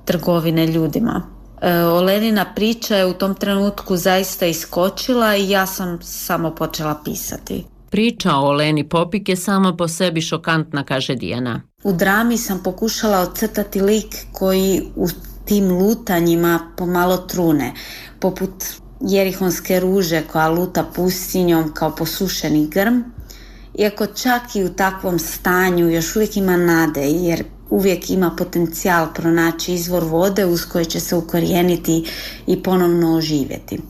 trgovine ljudima. E, Olenina priča je u tom trenutku zaista iskočila i ja sam samo počela pisati. Priča o Oleni Popik je sama po sebi šokantna, kaže Dijana. U drami sam pokušala ocrtati lik koji u tim lutanjima pomalo trune, poput jerihonske ruže koja luta pustinjom kao posušeni grm, iako čak i u takvom stanju još uvijek ima nade, jer uvijek ima potencijal pronaći izvor vode uz koji će se ukorijeniti i ponovno oživjeti.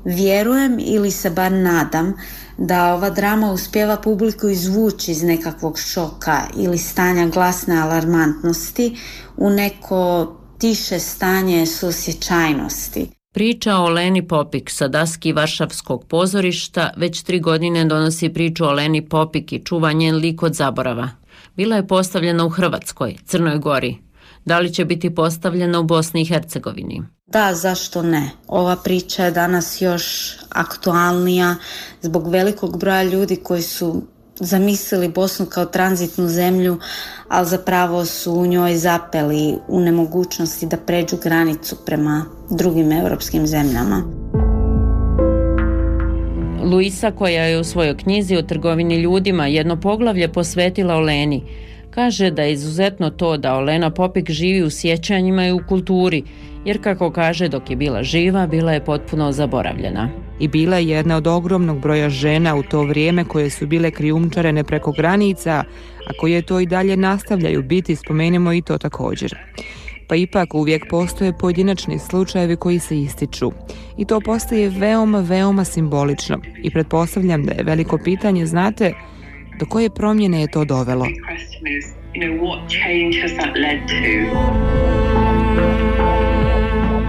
Vjerujem ili se bar nadam da ova drama uspijeva publiku izvući iz nekakvog šoka ili stanja glasne alarmantnosti u neko tiše stanje suosjećajnosti. Priča o Oleni Popik sa daski Varšavskog pozorišta već tri godine donosi priču o Oleni Popik i čuva njen lik od zaborava. Bila je postavljena u Hrvatskoj, Crnoj Gori. Da li će biti postavljena u Bosni i Hercegovini? Da, zašto ne? Ova priča je danas još aktualnija zbog velikog broja ljudi koji su zamislili Bosnu kao tranzitnu zemlju, ali zapravo su u njoj zapeli u nemogućnosti da pređu granicu prema drugim europskim zemljama. Luisa, koja je u svojoj knjizi o trgovini ljudima jedno poglavlje posvetila Oleni, kaže da je izuzetno to da Olena Popik živi u sjećanjima i u kulturi, jer kako kaže, dok je bila živa, bila je potpuno zaboravljena. I bila je jedna od ogromnog broja žena u to vrijeme koje su bile krijumčarene preko granica, a koje to i dalje nastavljaju biti, spomenemo i to također. Pa ipak uvijek postoje pojedinačni slučajevi koji se ističu. I to postaje veoma, veoma simbolično. I pretpostavljam da je veliko pitanje, znate, do koje promjene je to dovelo?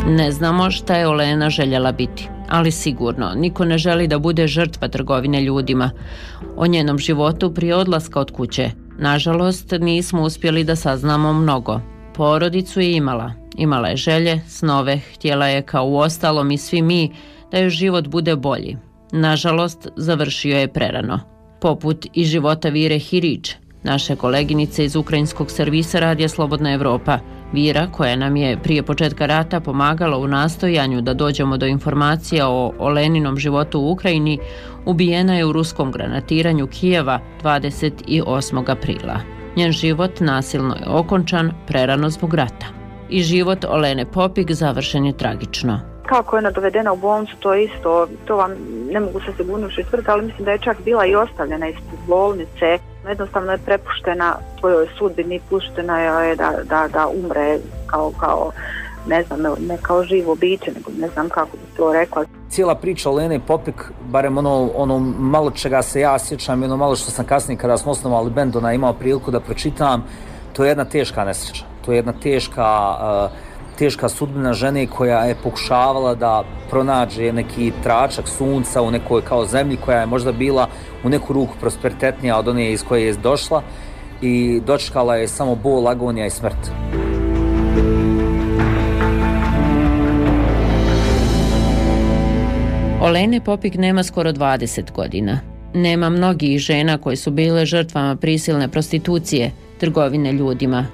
Ne znamo šta je Olena željela biti, ali sigurno niko ne želi da bude žrtva trgovine ljudima. O njenom životu prije odlaska od kuće, nažalost, nismo uspjeli da saznamo mnogo. Porodicu je imala, imala je želje, snove, htjela je kao u ostalom i svi mi da joj život bude bolji. Nažalost, završio je prerano. Poput i života Vire Hirić, naše koleginice iz ukrajinskog servisa Radija Slobodna Evropa. Vira, koja nam je prije početka rata pomagala u nastojanju da dođemo do informacija o Oleninom životu u Ukrajini, ubijena je u ruskom granatiranju Kijeva dvadeset osmog aprila. Njen život nasilno je okončan prerano zbog rata. I život Olene Popik završen je tragično. Kako je ona dovedena u bolnicu, to isto, to vam ne mogu se sigurnošću tvrditi, ali mislim da je čak bila i ostavljena ispred bolnice. Jednostavno je prepuštena svojoj sudbini, puštena je da, da, da umre kao, kao ne znam, ne kao živo biće, nego ne znam kako bi to rekla. Cijela priča Olene Popik, barem ono, ono malo čega se ja sjećam i ono malo što sam kasnije kada smo osnovali bend, ona imao priliku da pročitam, to je jedna teška nesreća. To je jedna teška, uh, teška sudbina žene koja je pokušavala da pronađe neki tračak sunca u nekoj kao zemlji koja je možda bila u neku ruku prosperitetnija od one iz koje je došla i dočekala je samo bol, agonija i smrt. Olene Popik nema skoro dvadeset godina. Nema mnogih žena koje su bile žrtvama prisilne prostitucije, trgovine ljudima.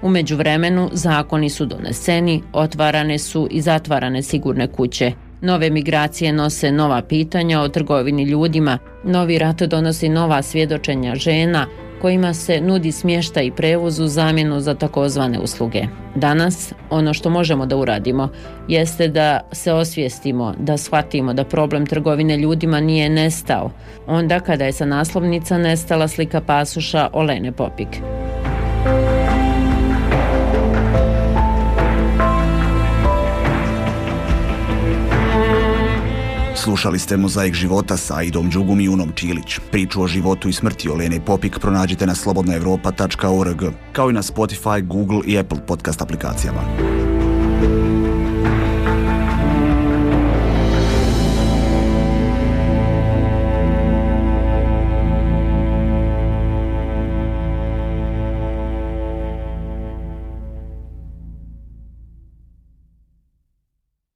U međuvremenu zakoni su doneseni, otvarane su i zatvarane sigurne kuće. Nove migracije nose nova pitanja o trgovini ljudima, novi rat donosi nova svjedočenja žena, kojima se nudi smještaj i prevoz u zamjenu za takozvane usluge. Danas, ono što možemo da uradimo jeste da se osvijestimo, da shvatimo da problem trgovine ljudima nije nestao, onda kada je sa naslovnica nestala slika pasoša Olene Popik. Slušali ste Mozaik života sa Aidom Đugum i Unom Čilić. Priču o životu i smrti Olene Popik pronađite na slobodna evropa tačka org, kao i na Spotify, Google i Apple podcast aplikacijama.